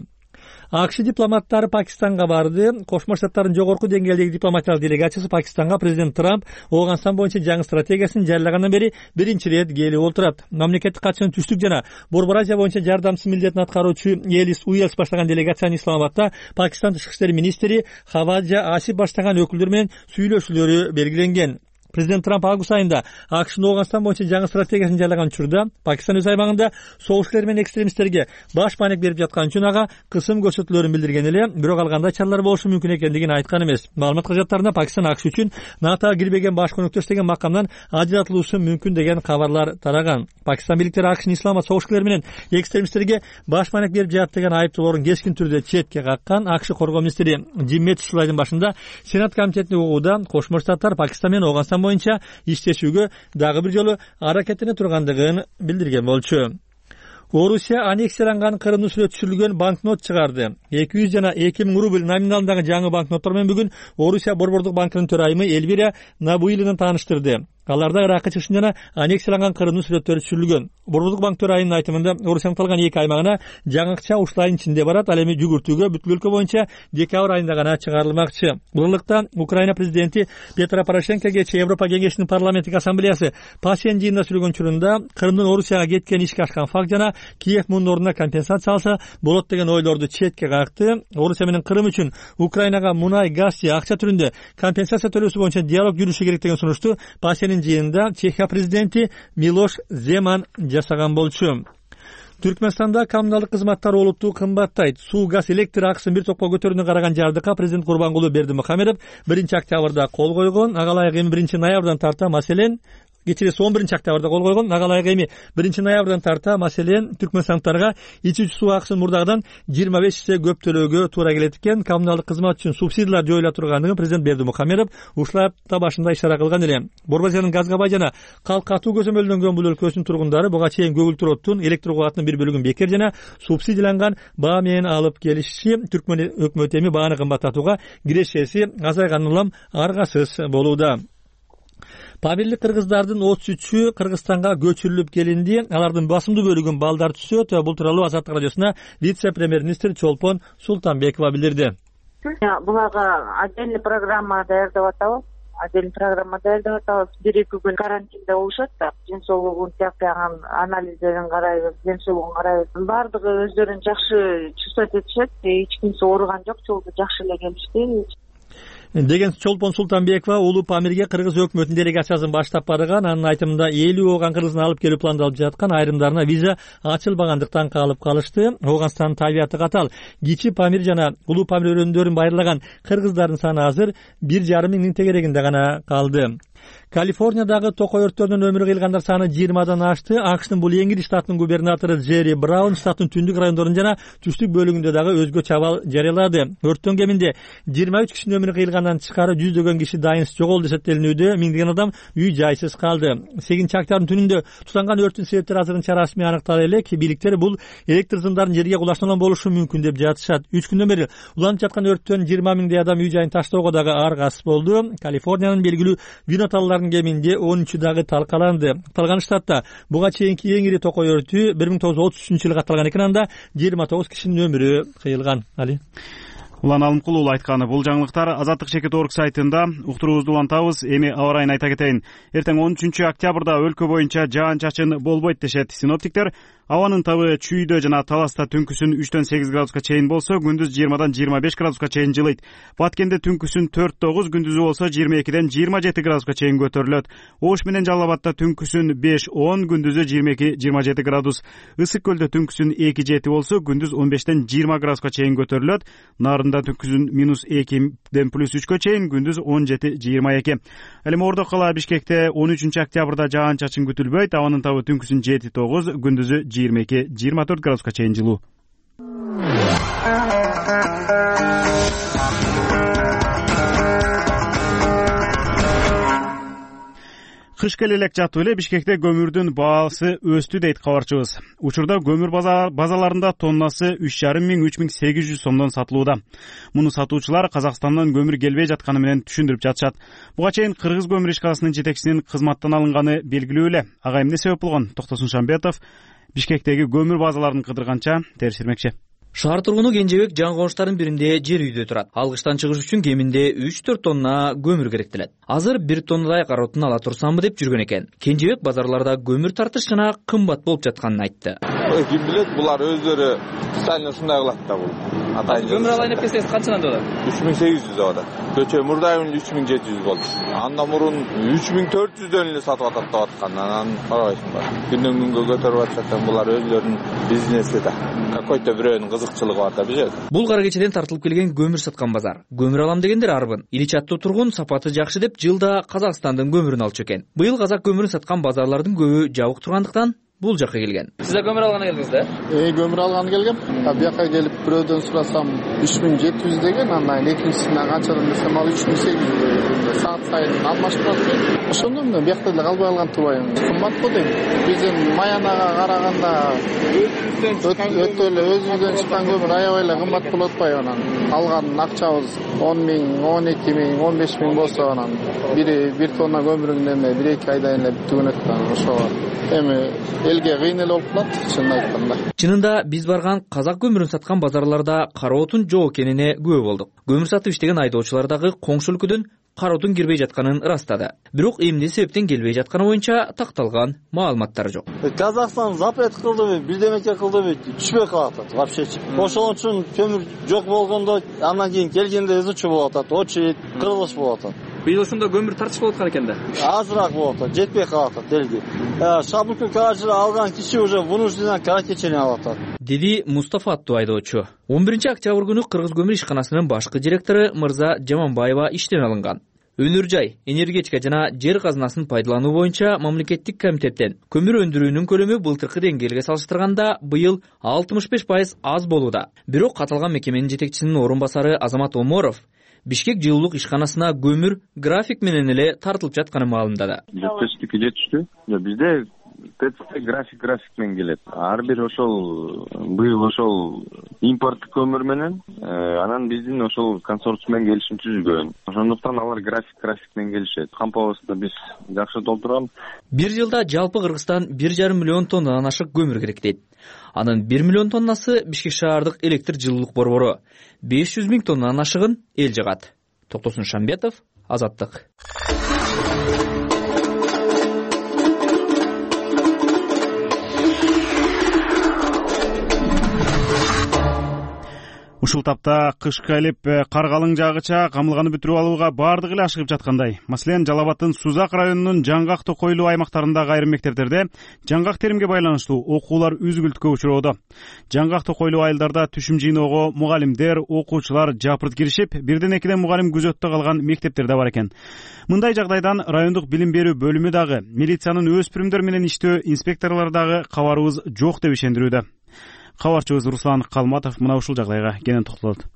АКШ дипломаттары Пакистанга барды. Кошмо Штаттардын жогорку деңгээлдеги дипломатиялык делегациясы Пакистанга президент Трамп Ооганстан боюнча жаңы стратегиясын жарыялагандан бери биринчи ирет келип отурат. Мамлекеттик катчынын түштүк жана Борбор Азия боюнча жардамчысы милдетин аткаруучу Элис Уэльс баштаган делегациянын Исламабадта Пакистан тышкы иштер министри Хаваджа Асиф баштаган өкүлдөр менен сүйлөшүүлөрү белгиленген. Президент Трамп август айында АКШнын Ооганстан боюнча жаңы стратегиясын жарыялаган учурда Пакистан өз аймагында согушчулар менен экстремисттерге баш маанек берип жаткан үчүн ага кысым көрсөтүүлөрүн билдирген эле, бирок ал кандай чаралар болушу мүмкүн экендигин айткан эмес. Маалымат каражаттарында Пакистан АКШ үчүн НАТОга кирбеген баш өнөктөш деген макамдан ажыратылуусу мүмкүн деген кабарлар тараган. Пакистан бийликтери АКШнын исламат согушчулар менен экстремисттерге баш маанек берип жатат деген айыптоолорун кескин түрдө четке каккан. АКШ коргоо министри Джим Мэттис жыл айдын башында Сенат комитетине угууда Кошмо Штаттар Пакистан менен Ооганстан боюнча иштешүүгө дагы бир жолу аракеттене тургандыгын билдирген болчу. Орусия аннексияланган Крымды сүрөт түшүрүлгөн банкнот чыгарды. 200 жана 2000 рубль номиналындагы жаңы банкноттор менен бүгүн Орусия Борбордук банкынын төрайымы Эльвира Набуилина тааныштырды. Аларда Иракка чыгышын жана аннексияланган Крымдын сүрөттөрү түшүрүлгөн. Борбордук банк төрайымынын айтымында Орусиянын калган 2 аймагына жаңы акча ушул айдын ичинде барат. Ал эми жүгүртүүгө бүткүл өлкө боюнча декабрь айында гана чыгарылмакчы. Бул Украина президенти Петро Порошенко кечээ Европа кеңешинин парламенттик ассамблеясы Пасен жыйынында сүйлөгөн учурунда Крымдын Орусияга кеткен ишке ашкан факт жана Киев мунун ордуна компенсация алса болот деген ойлорду четке какты. Орусия менен Крым үчүн Украинага мунай, газ же акча түрүндө компенсация төлөөсү боюнча диалог жүрүшү керек деген сунушту Пасенин жыйынында Чехия президенти Милош Земан жасаган болчу. Түркмөнстанда коммуналдык кызматтар олуттуу кымбаттайт. Суу, газ, электр акысын бир топко көтөрүүнү караган жардыкка президент Курбангулу Бердимухамедов 1-октябрда кол койгон. Ага ылайык эми 1-ноябрдан тарта маселен кечирээси 11-октябрда кол койгон. Ага ылайык эми 1-ноябрдан тарта маселен түркмөнстандыктарга ичүүчү суу акысын мурдагыдан 25 эсе көп төлөөгө туура келет экен. Коммуналдык кызмат үчүн субсидиялар жоюла тургандыгын президент Бердимухамедов ушул апта башында ишара кылган эле. Борбор Азиянын газга бай жана калк катуу көзөмөлдөнгөн бул өлкөсүнүн тургундары буга чейин көгүлтүр оттун электр кубатынын бир бөлүгүн бекер жана субсидияланган баа менен алып келишиши Түркмөн өкмөтү эми бааны кымбаттатууга кирешеси азайган улам аргасыз болууда. Памирлик кыргыздардын 33-ü Кыргызстанга көчүрүлүп келинди. Алардын басымдуу бөлүгүн балдар түзөт. Бул тууралуу Азаттык радиосуна вице-премьер-министр Чолпон Султанбекова билдирди. Буларга отдельный программа даярдап атабыз. Бир-эки күн карантинде болушат да, ден соолугун тияктаган анализдерин карайбыз, ден соолугун карайбыз. Бардыгы өздөрүн жакшы чувствовать этишет. Эч кимсе ооруган жок, жолдо жакшы эле келишти деген Чолпон Султанбекова Улуу Памирге кыргыз өкмөтүнүн делегациясын баштап барган. Анын айтымында 50 ооган кыргыздын алып келүү пландалып жаткан, айрымдарына виза ачылбагандыктан калып калышты. Ооганстандын табияты катал. Кичи Памир жана Улуу Памир өрөөндөрүн байырлаган кыргыздардын саны азыр 1,5 миңдин тегерегинде гана калды. Калифорниядагы токой өрттөрдөн өмүрү кыйылгандар саны 20дан ашты. АКШнын Булиенгир штатынын губернатору Джерри Браун штаттын түндүк райондорунун жана түштүк бөлүгүндө дагы өзгөчө абал жарыялады. Өрттөн кеминде 23 кишинин өмүрү кыйылгандан тышкары жүздөгөн киши дайынсыз жоголду деп эсептелинүүдө. Миңдеген адам үй жайсыз калды. 8-октябрдын түнүндө тутанган өрттүн себептери азырынча расмий аныктала элек. Бийликтер бул электр сымдарын жерге кулаштырган болушу мүмкүн деп жатышат. 3 күндөн бери уланып жаткан өрттөн 20 миңдей адам үй жайын таштоого дагы аргасыз болду. Калифорниянын белгилүү виноталларынын кеминде 13 дагы талкаланды. Калган штатта буга чейинки эң ири токой өртү 1933-жылы катталган экен. Анда 29 кишинин өмүрү кыйылган. Улан Алымкул айтканы. Бул жаңылыктар Азаттык Чекит орг сайтында уктуруубузду улантабыз. Эми аба ырайын айта кетейин. Эртең 13 октябрда өлкө боюнча жаан-чачын болбойт дешет синоптиктер. Абанын табы Чүйдө жана Таласта түнкүсүн 3-8 градуска чейин болсо, күндүз 20-25 градуска чейин жылыйт. Баткенде түнкүсүн 4-9, күндүзү болсо 22-27 градуска чейин көтөрүлөт. Ош менен Жалал Абадта түнкүсүн 5-10, күндүзү 22-27 градус. Ысык Көлдө түнкүсүн 2-7 болсо, күндүз 15-20 градуска чейин көтөрүлөт. Нарында түнкүсүн -2ден +3кө чейин, күндүз 17-22. Ал эми Ордо кала Бишкекте 13 октябрда жаан-чачын күтүлбөйт. Абанын табы түнкүсүн 7-9, күндүзү 22-24 градуска чейин жылуу. Кыш келе элек жатып эле Бишкекте көмүрдүн баасы өстү дейт кабарчыбыз. Учурда көмүр базаларында тоннасы 3,5–3,800 сомдон сатылууда. Муну сатуучулар Казакстандан көмүр келбей жатканы менен түшүндүрүп жатышат. Буга чейин Кыргыз көмүр ишканасынын жетекчисинин кызматтан алынганы белгилүү эле. Ага эмне себеп болгон? Токтосун Шамбетов Бишкектеги көмүр базаларын кыдырганча териштирмекчи. Шаар тургуну Кенжебек жаңы коңуштардын биринде жер үйдө турат. Алгычтан чыгыш үчүн кеминде 3-4 тонна көмүр керектелет. Азыр 1 тоннадай кароотун ала турсамбы деп жүргөн экен. Кенжебек базарларда көмүр тартыш жана кымбат болуп жатканын айтты. Ким билет, булар өздөрү специально ушундай кылат да бул. Көмүр алайын деп келсеңиз канчадан болот? 3800 болот. Көчө мурдайын 3700 болду. Андан мурун 3400дөн эле сатып атат деп аткан. Анан карабайсың ба. Күндөн күнгө көтөрүп атышат, булар өздөрүнүн бизнеси да. Какой-то бирөөнүн кызыкчылыгы бар да билет. Бул кара кечеден тартылып келген көмүр саткан базар. Көмүр алам дегендер арбын. Илич аттуу тургун сапаты жакшы деп жылда Казакстандын көмүрүн алчу экен. Быйыл казак көмүрүн саткан базарлардын көбү жабык тургандыктан бул жакка келген. Сиз да көмүр алганы келдиңиз да? Көмүр алганы келгем. Бияка келип бирөөдөн сурасам 3700 деген, андан экинчисине канчадан десем ал 3800 деген. Саат сайын алмашып турат. Ошондо мен биякта эле калбай алган турбайм. Кымбат го дейм. Биздин Маянага караганда өтө эле өзүбүздөн чыккан көмүр аябай эле кымбат болуп атпайбы анан. Алган акчабыз 10 миң, 12 миң, 15 миң болсо анан бир тонна көмүрүн эме 1-2 айдан эле түгөнөт да. Ошо эми элге кыйын эле болуп калат, чынын айтканда. Чынында биз барган казак көмүрүн саткан базарларда кароотун жок экенине күбө болдук. Көмүр сатып иштеген айдоочулар дагы коңшу өлкөдөн кароотун кирбей жатканын ырастады. Бирок эмне себептен келбей жатканы боюнча такталган маалыматтар жок. Казакстан запрет кылдыбы, бирдемеке кылдыбы, түшпөй калат вообще. Ошон үчүн көмүр жок болгондо андан кийин келгенде изучу болуп атат, очередь, кырылыш болуп атат. Быйыл ошондо көмүр тартыш болуп аткан экен да. Азыраак болуп атат, жетпей калат элге. Шабылкы каражы алган киши уже вынужденно кара кечени алып атат. Деди Мустафа аттуу айдоочу. 11 октябрь күнү Кыргыз көмүр ишканасынын башкы директору Мырза Жаманбаева иштен алынган. Өнөр жай, энергетика жана жер казынасын пайдалануу боюнча мамлекеттик комитеттен көмүр өндүрүүнүн көлөмү былтыркы деңгээлге салыштырганда быйыл 65% аз болууда. Бирок каталган мекеменин жетекчисинин орун басары Азамат Оморов Бишкек жылуулук ишканасына көмүр график менен эле тартылып жатканын маалымдады. Жетиштикке жетиштүү. Бизде ТЦ график менен келет. Ар бир ошол быйыл ошол импорттук көмүр менен анан биздин ошол консорциум менен келишим түзүлгөн. Ошондуктан алар график менен келишет. Кампабызды биз жакшы толтурганбыз. Бир жылда жалпы Кыргызстан 1,5 миллион тоннадан ашык көмүр керек дейт. Анын 1 миллион тоннасы Бишкек шаардык электр жылуулук борбору, 500 миң тоннадан ашыгын эл жыгат. Токтосун Шамбетов, Азаттык. Ушул тапта кыш келип, кар калың жаагыча камылганы бүтүрүп алууга бардыгы эле ашыгып жаткандай. Маселен, Жалал Абадтын Сузак районунун Жаңгак Токойлуу аймактарындагы айрым мектептерде жаңгак теримге байланыштуу окуулар үзгүлтүккө учуроодо. Жаңгак Токойлуу айылдарда түшүм жыйноого мугалимдер, окуучулар жапырт киришип, 1-2 мугалим күзөттө калган мектептер да бар экен. Мындай жагдайдан райондук билим берүү бөлүмү дагы, милициянын өспүрүмдөр менен иштөө инспекторлору дагы кабарыбыз жок деп ишендирүүдө. Кабарчыбыз Руслан Калматов мына ушул жагдайга кенен токтолот.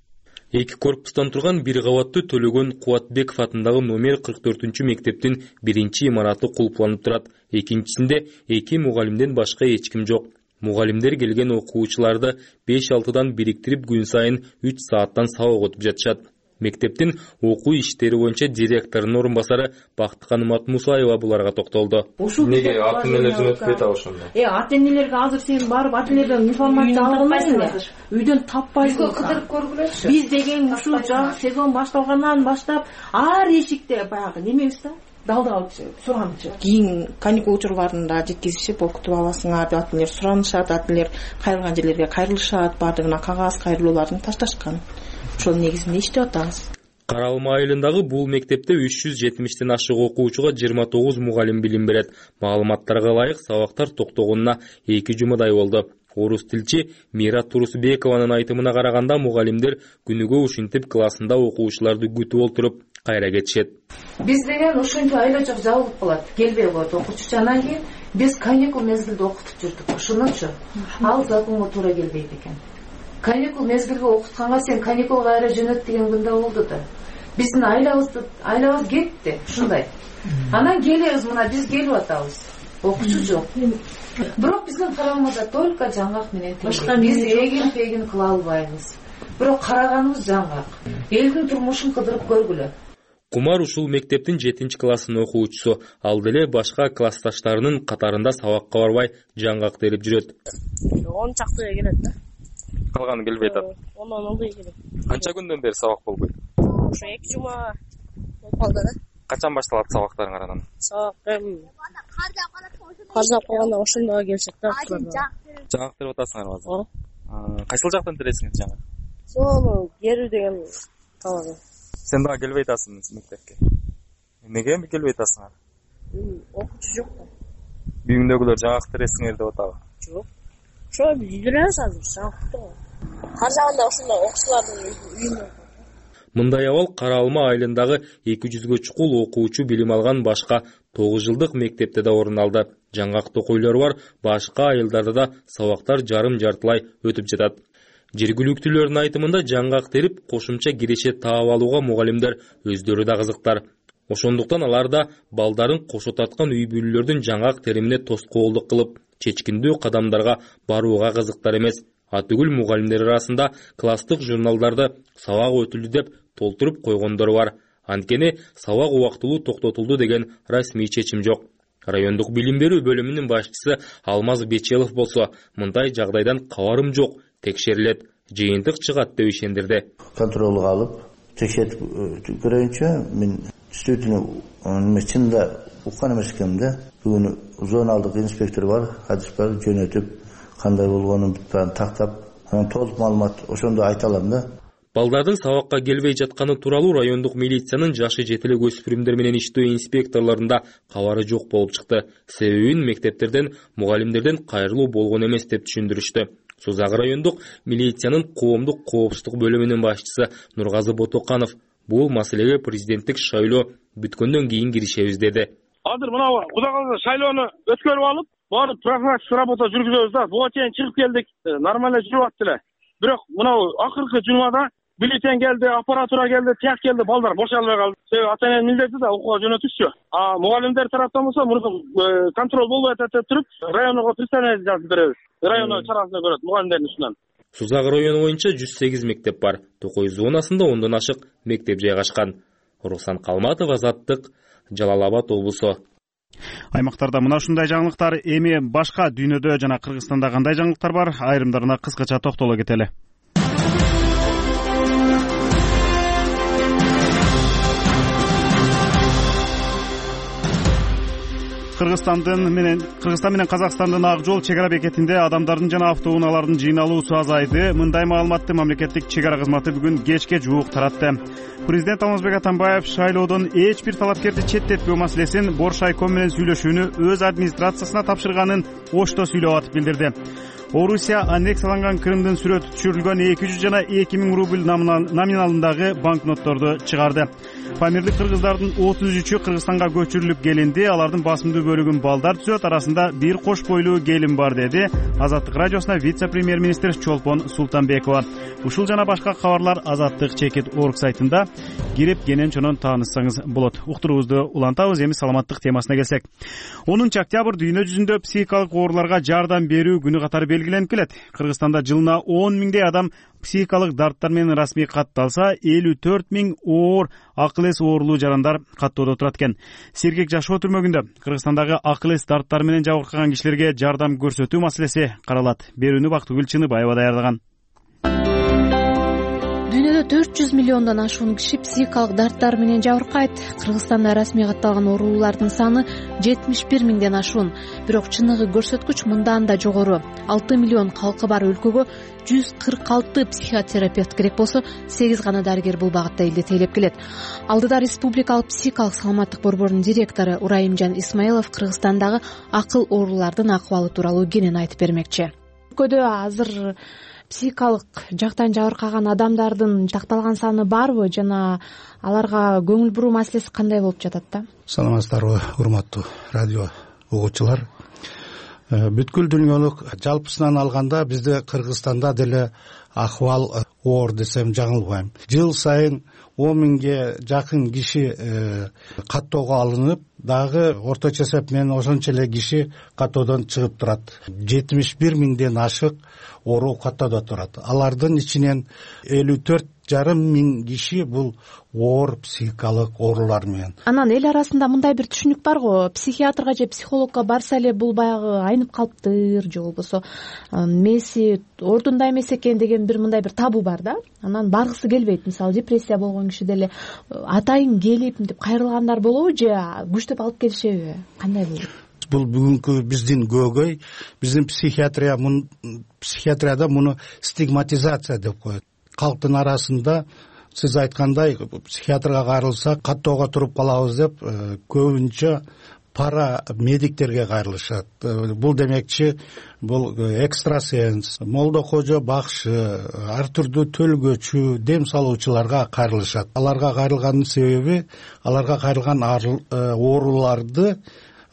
Эки корпустан турган бир кабаттуу Төлөгөн Кубатбеков атындагы номер 44 мектептин биринчи имараты кулпланып турат. Экинчисинде 2 мугалимден башка эч ким жок. Мугалимдер келген окуучуларды 5-6дан бириктирип күн сайын 3 сааттан сабак өтүп жатышат. Мектептин окуу иштери боюнча директорунун орун басары Бактыкан Матмусаева буларга токтолду. Неге ата энелер жөнөтпөйт ошондо? Ата энелерге азыр сен барып ата энеден информация албайсың. Үйдөн таппайсың. Кыдырып көргүлөчү. Биз деген ушул сезон башталгандан баштап ар эшикте баягы немебиз да. Далдалып суранычы. Кийин каникул учурларында жеткизишип окутуп аласыңар деп ата энелер суранышат, ата энелер кайрылган жерлерге кайрылышат, баардыгына кагаз кайрылууларын ташташкан. Ошол негизинде иштеп атабыз. Кара Алма айылындагы бул мектепте 370тен ашык окуучуга 29 мугалим билим берет. Маалыматтарга ылайык сабактар токтогонуна 2 жумадай болду. Орус тилчи Мира Турусбекованын айтымына караганда мугалимдер күнүгө ушинтип классында окуучуларды күтүп олтуруп кайра кетишет. Биз деген ушунча айла жок жабылып калат. Келбей коет окуучу. Анан кийин биз каникул мезгилде окутуп жүрдүк. Ошонучу ал законго туура келбейт экен. Каникул мезгилге окутканга сен каникулга кайра жөнөт деген күндө болду да. Биздин айлабыз кетти, ушундай. Анан келебиз, мына биз келип атабыз. Окуучу жок. Бирок биздин карамада только жаңгак менен башка биз эгин кыла албайбыз. Бирок караганыбыз жаңгак. Элдин турмушун кыдырып көргүлө. Кумар ушул мектептин 7-классынын окуучусу. Ал деле башка классташтарынын катарында сабакка барбай жаңгак терип жүрөт. 10 чактыга келет да. Калганы келбей атат. 10 ылдый келет. Канча күндөн бери сабак болбойт? Ошо 2 жума болуп калды да. Качан башталат сабактарың анан? Сабак кар жаап калганда ошондо келишет да. Жаңгак терип атасыңарбы азыр? Кайсыл жактан тересиңер жаңгак? Сону Геру деген талабы. Сен дагы келбей атасың мектепке. Эмнеге келбей атасыңар? Окуучу жок да. Үйүңдөгүлөр жаңгак тересиңер деп атабы? Жок. Ошо үйдүрөбүз азыр жаңгакты. Кар жааганда ошондо окуучулардын үйүндө. Мындай абал Кара Алма айылындагы 200гө чукул окуучу билим алган башка 9 жылдык мектепте да орун алды. Жаңгак токойлор бар башка айылдарда да сабактар жарым-жартылай өтүп жатат. Жергиликтүүлөрдүн айтымында жаңгак терип кошумча киреше таап алууга мугалимдер өздөрү да кызыктар. Ошондуктан алар да балдарын кошо таткан үй бүлөлөрдүн жаңгак теримине тоскоолдук кылып, чечкиндүү кадамдарга барууга кызыктар эмес. Атүгүл мугалимдер арасында класстык журналдарды сабак өтүлдү деп толтуруп койгондор бар. Анткени сабак убактылуу токтотулду деген расмий чечим жок. Райондук билим берүү бөлүмүнүн башчысы Алмаз Бечелов болсо, мындай жагдайдан кабарым жок, текшерилет, жыйынтык чыгат деп ишендирди. Контролго алып, текшертип көрөйүнчө мен действительно чында уккан эмес экенмин. Бүгүн зоналдык инспектор бар, адис бар, жөнөтүп кандай болгонун тактап, анан толук маалымат ошондо айта алам да. Балдардын сабакка келбей жатканы тууралуу райондук милициянын жашы жетелек өспүрүмдөр менен иштөө инспекторлорунда кабары жок болуп чыкты. Себебин мектептерден, мугалимдерден кайрылуу болгон эмес деп түшүндүрүштү. Созак райондук милициянын коомдук коопсуздук бөлүмүнүн башчысы Нургазы Ботоканов бул маселеге президенттик шайлоо бүткөндөн кийин киришебиз деди. Азыр мына Кудай калса шайлоону өткөрүп алып, барып профилактика работа жүргүзөбүз да. Буга чейин чыгып келдик, нормально жүрүп атты эле. Бирок мына акыркы жумада бюллетень келди, аппаратура келди, тияк келди, балдар боша албай калды. Себеби ата эненин милдети да окууга жөнөтүшчү. Мугалимдер тараптан болсо мурду контроль болбой атат деп туруп, районго представление жазып беребиз. Районо чарасына көрөт мугалимдердин ушунан. Сузак району боюнча 108 мектеп бар. Токой зонасында 10дон ашык мектеп жайгашкан. Руслан Калматов, Азаттык, Жалал Абад облусу. Аймактарда мына ушундай жаңылыктар, эми башка дүйнөдө жана Кыргызстанда кандай жаңылыктар бар? Айрымдарына кыскача токтоло кетели. Кыргызстан менен Казакстандын ак жол чек ара бекетинде адамдардын жана автоунаалардын жыйналуусу азайды. Мындай маалыматты мамлекеттик чек ара кызматы бүгүн кечке жуук таратты. Президент Алмазбек Атамбаев шайлоодон эч бир талапкерди четтетпөө маселесин Боршайком менен сүйлөшүүнү өз администрациясына тапшырганын Ошто сүйлөп атып билдирди. Орусия аннексияланган Крымдын сүрөтү түшүрүлгөн 200 жана 2000 рубль номиналындагы банкнотторду чыгарды. Памирлик кыргыздардын 33-ü Кыргызстанга көчүрүлүп келинди. Алардын басымдуу бөлүгүн балдар түзөт, арасында бир кош бойлуу келин бар, деди Азаттык радиосуна вице-премьер-министр Чолпон Султанбекова. Ушул жана башка кабарлар Азаттык чекит орг сайтында кирип кенен чонон тааныссаңыз болот. Уктуруубузду улантабыз. Эми саламаттык темасына келсек. 10 октябрь дүйнө жүзүндө психикалык ооруларга жардам берүү күнү катары белгиленип келет. Кыргызстанда жылына 10 миңдей адам психикалык дарттар менен расмий катталса, 54 миң оор акыл эс оорулуу жарандар каттоодо турат экен. Сергек жашоо түрмөгүндө Кыргызстандагы акыл эс дарттары менен жабыркаган кишилерге жардам көрсөтүү маселеси каралат. Берүүнү Бактыгүл Чыныбаева даярдаган. Дүйнөдө 400 миллиондон ашуун киши психикалык дарттар менен жабыркайт. Кыргызстанда расмий катталган оорулардын саны 71 миңден ашуун. Бирок чыныгы көрсөткүч мындан да жогору. 6 миллион калкы бар өлкөгө 146 психотерапевт керек болсо, 8 гана дарыгер бул багытта элди тейлеп келет. Алдыда Республикалык психикалык саламаттык борборунун директору Урайымжан Исмаилов Кыргызстандагы акыл оорулардын акыбалы тууралуу кенен айтып бермекчи. Өлкөдө азыр психикалык жактан жабыркаган адамдардын такталган саны барбы жана аларга көңүл буруу маселеси кандай болуп жатат да? Саламатсыздарбы, урматтуу радио угуучулар. Бүткүл дүйнөлүк жалпысынан алганда бизде Кыргызстанда деле акыбал оор десем жаңылбайм. Жыл сайын 10 миңге жакын киши каттоого алынып, дагы орточо эсеп менен ошончо эле киши каттоодон чыгып турат. 71 миңден ашык оору каттоодо турат. Алардын ичинен 54,5 миң киши бул оор психикалык оорулар менен. Анан эл арасында мындай бир түшүнүк бар го, психиатрга же психологко барса эле бул баягы айнып калыптыр, же болбосо мээси ордунда эмес экен деген бир мындай бир табу бар да. Анан баргысы келбейт. Мисалы депрессия болгон киши деле атайын келип мынтип кайрылгандар болобу же күчтөп алып келишеби? Кандай болот? Бул бүгүнкү биздин көөгөй, биздин психиатрияда муну стигматизация деп коет. Калктын арасында сиз айткандай психиатрга кайрылса каттоого туруп калабыз деп көбүнчө пара медиктерге кайрылышат. Бул демекчи бул экстрасенс, молдо кожо бакшы, ар түрдүү төлгөчү, дем салуучуларга кайрылышат. Аларга кайрылганын себеби аларга кайрылган ооруларды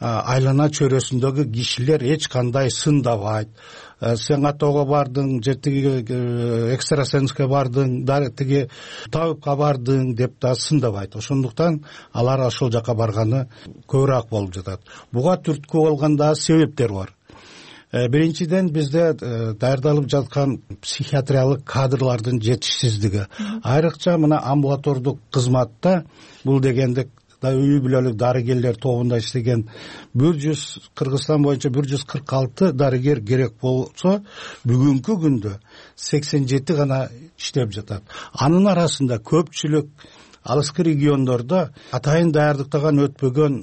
айлана чөйрөсүндөгү кишилер эч кандай сындабайт. Сен каттоого бардың, же тиги экстрасенске бардың, тиги табипка бардың деп да сындабайт. Ошондуктан алар ошол жака барганы көбүрөөк болуп жатат. Буга түрткү болгон да себептер бар. Биринчиден бизде даярдалып жаткан психиатриялык кадрлардын жетишсиздиги. Айрыкча мына амбулатордук кызматта бул дегенде үй бүлөлүк дарыгерлер тобунда иштеген Кыргызстан боюнча 146 дарыгер керек болсо, бүгүнкү күндө 87 гана иштеп жатат. Анын арасында көпчүлүк алыскы региондордо атайын даярдыктан өтпөгөн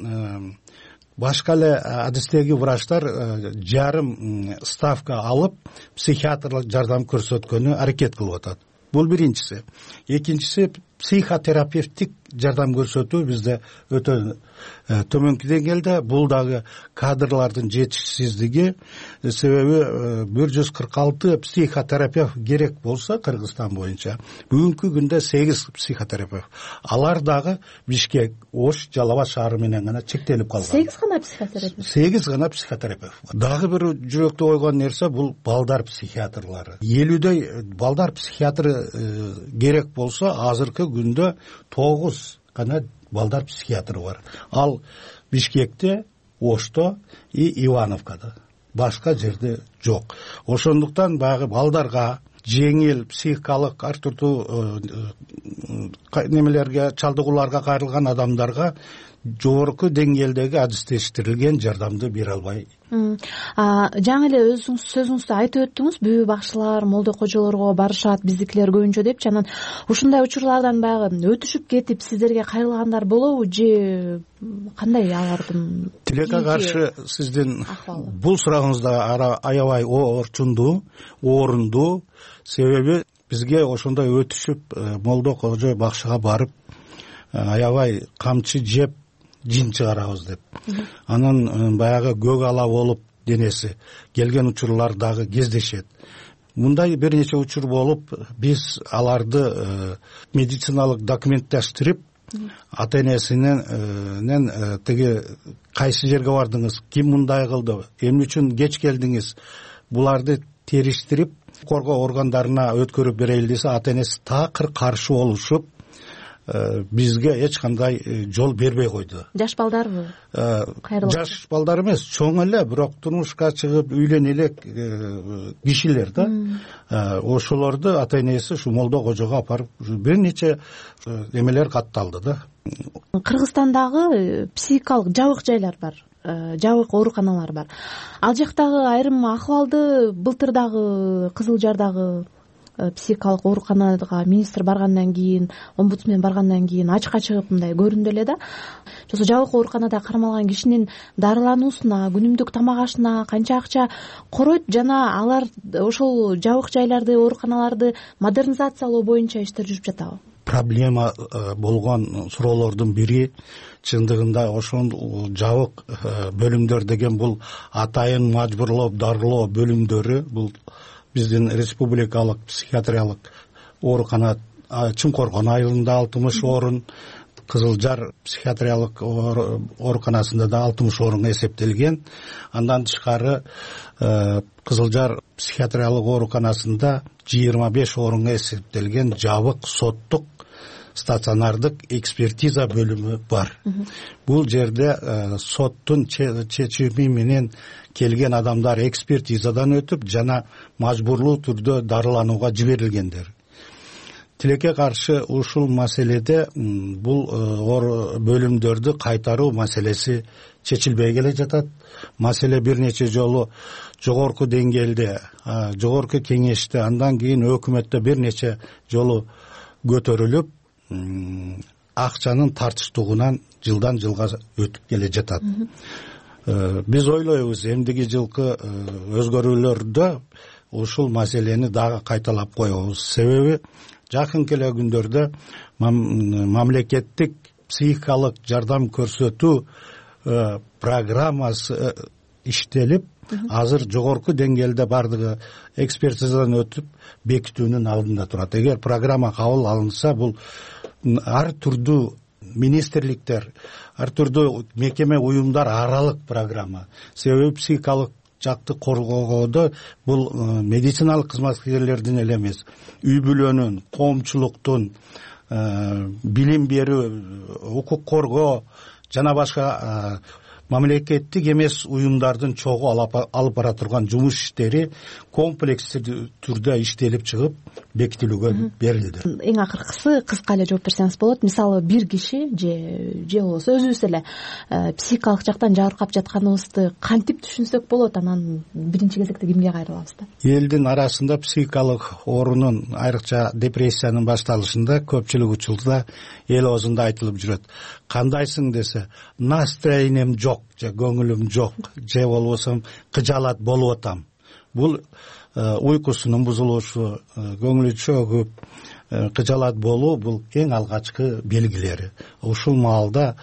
башка эле адистеги врачтар жарым ставка алып психиатрлык жардам көрсөткөнү аракет кылып атат. Бул биринчиси. Экинчиси психотерапевтик жардам көрсөтүү бизде өтө төмөнкү деңгээлде. Бул дагы кадрлардын жетишсиздиги себеби 146 психотерапевт керек болсо Кыргызстан боюнча бүгүнкү күндө 8 психотерапевт. Алар дагы Бишкек, Ош, Жалал Абад шаары менен гана чектелип калган. 8 гана психотерапевт. 8 гана психотерапевт. Дагы бир жүрөктү ойгон нерсе бул балдар психиатрлары. 50дөй балдар психиатры керек болсо, азыркы күндө 9 гана балдар психиатры бар. Ал Бишкекте, Ошто и Ивановкада. Башка жерде жок. Ошондуктан баягы балдарга жеңил психикалык ар түрдүү немелерге, чалдыгууларга кайрылган адамдарга жогорку деңгээлдеги адистештирилген жардамды бере албай. Жаңы эле өзүңүз сөзүңүздө айтып өттүңүз, бүбү бакчылар, молдо кожолорго барышат, биздикилер көбүнчө депчи. Анан ушундай учурлардан баягы өтүшүп кетип сиздерге кайрылгандар болобу же кандай алардын? Тилекке каршы сиздин бул сурагыңыз да аябай орунду. Себеби бизге ошондой өтүшүп молдо кожо бакчыга барып аябай камчы жеп жин чыгарабыз деп. Анан баягы көк ала болуп денеси келген учурлар дагы кездешет. Мындай бир нече учур болуп, биз аларды медициналык документтештирип, ата-энесинен тиги кайсы жерге бардыңыз, ким мындай кылды, эмне үчүн кеч келдиңиз, буларды териштирип, коргоо органдарына өткөрүп берели десе, ата-энеси такыр каршы болушуп, бизге эч кандай жол бербей койду. Жаш балдарбы? Жаш балдар эмес, чоң эле, бирок турмушка чыгып үйлөнө элек кишилер да. Ошолорду ата энеси ушу молдо кожого апарып бир нече эмелер катталды да. Кыргызстандагы психикалык жабык жайлар бар, жабык ооруканалар бар. Ал жактагы айрым акыбалды былтыр дагы Кызыл Жардагы психикалык ооруканага министр баргандан кийин, омбудсмен баргандан кийин ачыкка чыгып мындай көрүндү эле да. Ошо жабык ооруканада кармалган кишинин дарылануусуна, күнүмдүк тамак ашына канча акча коройт жана алар ошол жабык жайларды, ооруканаларды модернизациялоо боюнча иштер жүрүп жатабы? Проблема болгон суроолордун бири чындыгында ошол жабык бөлүмдөр деген бул атайын мажбурлоо дарылоо бөлүмдөрү. Бул биздин республикалык психиатриялык оорукана Чуңкоргон айылында 60 орун, Кызыл Жар психиатриялык ооруканасында да 60 орун эсептелген. Андан тышкары Кызыл Жар психиатриялык ооруканасында 25 орунга эсептелген жабык соттук стационардык экспертиза бөлүмү бар. Бул жерде соттун чечими менен келген адамдар экспертизадан өтүп жана мажбурлуу түрдө дарыланууга жиберилгендер. Тилекке каршы ушул маселеде бул бөлүмдөрдү кайтаруу маселеси чечилбей келе жатат. Маселе бир нече жолу жогорку деңгээлде, жогорку кеңеште, андан кийин өкмөттө бир нече жолу көтөрүлүп, акчанын тартыштугунан жылдан жылга өтүп келе жатат. Биз ойлойбуз, эмдиги жылкы өзгөрүүлөрдө ушул маселени дагы кайталап коебуз. Себеби жакынкы эле күндөрдө мамлекеттик психикалык жардам көрсөтүү программасы иштелип, азыр жогорку деңгээлде бардыгы экспертизадан өтүп бекитүүнүн алдында турат. Эгер программа кабыл алынса, бул ар түрдүү министрликтер, ар түрдүү мекеме уюмдар аралык программа. Себеби психикалык жакты коргоодо бул медициналык кызматкерлердин эле эмес, үй бүлөнүн, коомчулуктун, билим берүү, укук коргоо жана башка мамлекеттик эмес уюмдардын чогуу алып бара турган жумуш иштери комплекстүү түрдө иштелип чыгып бекитилүүгө берилди. Эң акыркысы кыска эле жооп берсеңиз болот. Мисалы бир киши же болбосо өзүбүз эле психикалык жактан жабыркап жатканыбызды кантип түшүнсөк болот, анан биринчи кезекте кимге кайрылабыз да? Элдин арасында психикалык оорунун, айрыкча депрессиянын башталышында көпчүлүк учурда эл оозунда айтылып жүрөт. Кандайсың десе, настроением жок, же көңүлүм жок, же болбосо кыжаалат болуп атам. Бул уйкусунун бузулушу, көңүлү чөгүп, кыжаалат болуу бул эң алгачкы белгилери. Ушул маалда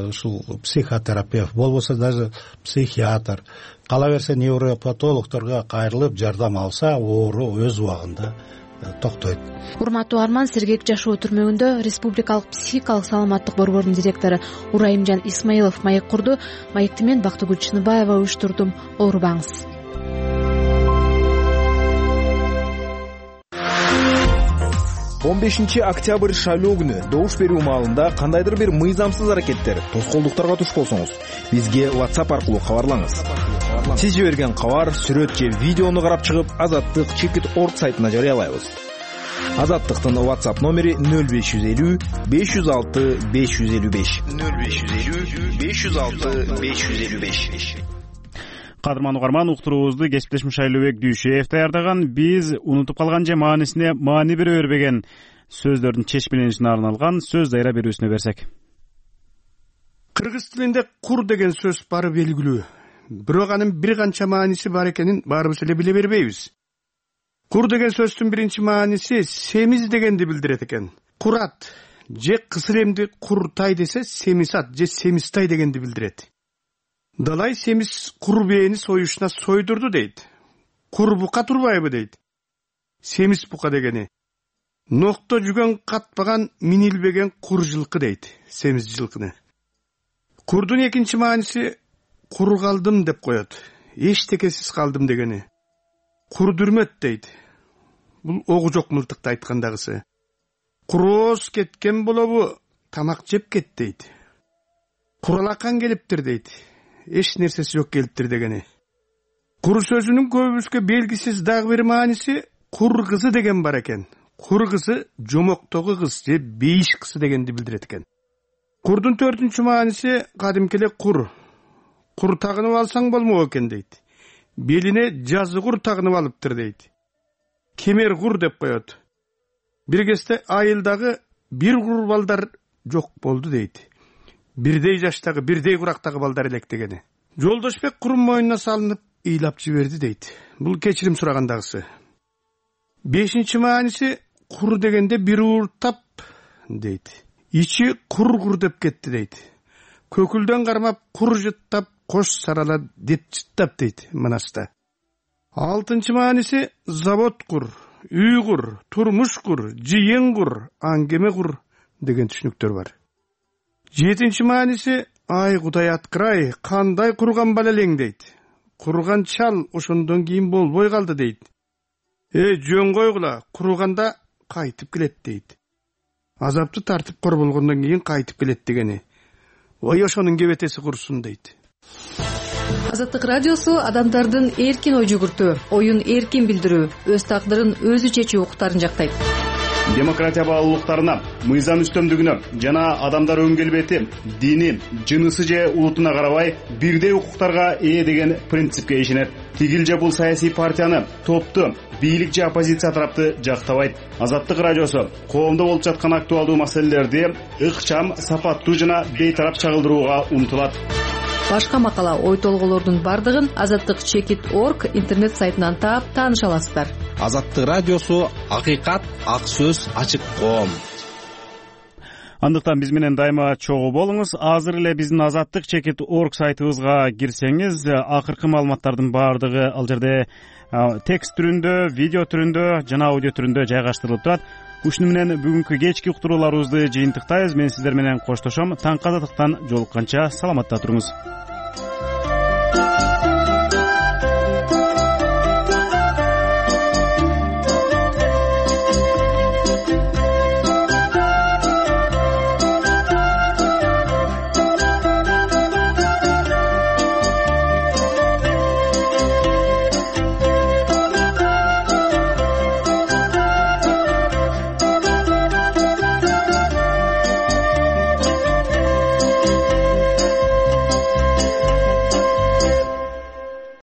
ушул психотерапевт болбосо даже психиатр, кала берсе невропатологдорго кайрылып жардам алса, оору өз убагында токтойт. Урматтуу Арман, Сергек жашоо түрмөгүндө Республикалык психикалык саламаттык борборунун директору Урайымжан Исмаилов маек курду. Маекти мен Бактыгүл Чыныбаева уюштурдум. Оорубаңыз. Октябрь шайлоо күнү добуш берүү маалында кандайдыр бир мыйзамсыз аракеттер, тоскоолдуктарга туш болсоңуз, бизге WhatsApp аркылуу кабарлаңыз. Сиз жиберген кабар, сүрөт же видеону карап чыгып, Азаттык.org сайтына жарыялайбыз. Азаттыктын WhatsApp номери 0550 506 555. 0550 506 555. Кадырман угарман, уктуруубузду кесиптешим Шайлообек Дүйшеев даярдаган. Биз унутуп калган же маанисине маани бере бербеген сөздөрдүн чечмеленишине арналган сөз дайра берүүсүнө берсек. Кыргыз тилинде кур деген сөз бары белгилүү. Бирок анын бир канча мааниси бар экенин баарыбыз эле биле бербейбиз. Кур деген сөздүн биринчи мааниси семиз дегенди билдирет экен. Курат же кысылемди куртай десе, семисат же семистай дегенди билдирет. Далай семиз кур бээни союшуна сойдурду дейт. Кур бука турбайбы дейт. Семиз бука дегени. Нокто жүгөн катпаган минилбеген кур жылкы дейт. Семиз жылкыны. Курдун экинчи мааниси кур калдым деп коет. Эчтекесиз калдым дегени. Кур дүрмөт дейт. Бул огу жок мылтыкты айткандагысы. курооз кеткен болобу, тамак жеп кет дейт. Куралакан келиптир дейт. Эч нерсеси жок келиптир дегени. Кур сөзүнүн көбүбүзгө белгисиз дагы бир мааниси кур кызы деген бар экен. Кур кызы жомоктогу кыз же бейиш кызы дегенди билдирет экен. Курдун 4-үнчү мааниси кадимки эле кур. Кур тагынып алсаң болмок экен дейт. Белине жазы кур тагынып алыптыр дейт. Кемер кур деп коет. Бир кезде айылдагы бир кур балдар жок болду дейт. Бирдей жаштагы, бирдей курактагы балдар элек дегени. Жолдошбек курун мойнуна салынып ыйлап жиберди дейт. Бул кечирим сурагандагысы. 5-чи мааниси кур дегенде бир ууртап дейт. Ичи кур деп кетти дейт. Көкүлдөн кармап кур жыттап, кош сарала деп жыттап дейт Манаста. 6-чы мааниси завод кур, үй кур, турмуш кур, жыйын кур, аңгеме кур деген түшүнүктөр бар. 7-чи мааниси ай Кудай аткырай, кандай курган бала элең дейт. Курган чал ошондон кийин болбой калды дейт. Жөн койгула, курганда кайтып келет дейт. Азапты тартып кор болгондон кийин кайтып келет дегени. Ой ошонун кебетеси курсун дейт. Азаттык радиосу адамдардын эркин ой жүгүртүү, оюн эркин билдирүү, өз тагдырын өзү чечүү укуктарын жактайт. Демократия баалуулуктарына, мыйзам үстөмдүгүнө жана адамдар өң келбети, дини, жынысы же улутуна карабай бирдей укуктарга ээ деген принципке ишенет. Тигил же бул саясий партияны, топту, бийлик же оппозиция тарапты жактабайт. Азаттык радиосу коомдо болуп жаткан актуалдуу маселелерди ыкчам, сапаттуу жана бейтарап чагылдырууга умтулат. Башка макала, ой толголордун бардыгын azattik.org интернет сайтынан таап тааныша аласыздар. Азаттык радиосу акыйкат, ак сөз, ачык коом. Андыктан биз менен дайыма чогуу болуңуз. Азыр эле биздин azattik.org сайтыбызга кирсеңиз, акыркы маалыматтардын бардыгы ал жерде текст түрүндө, видео түрүндө жана аудио түрүндө жайгаштырылып турат. Ушуну менен бүгүнкү кечки уктурууларыбызды жыйынтыктайбыз. Мен сиздер менен коштошом. Таңкы азаттыктан жолукканча саламатта туруңуз.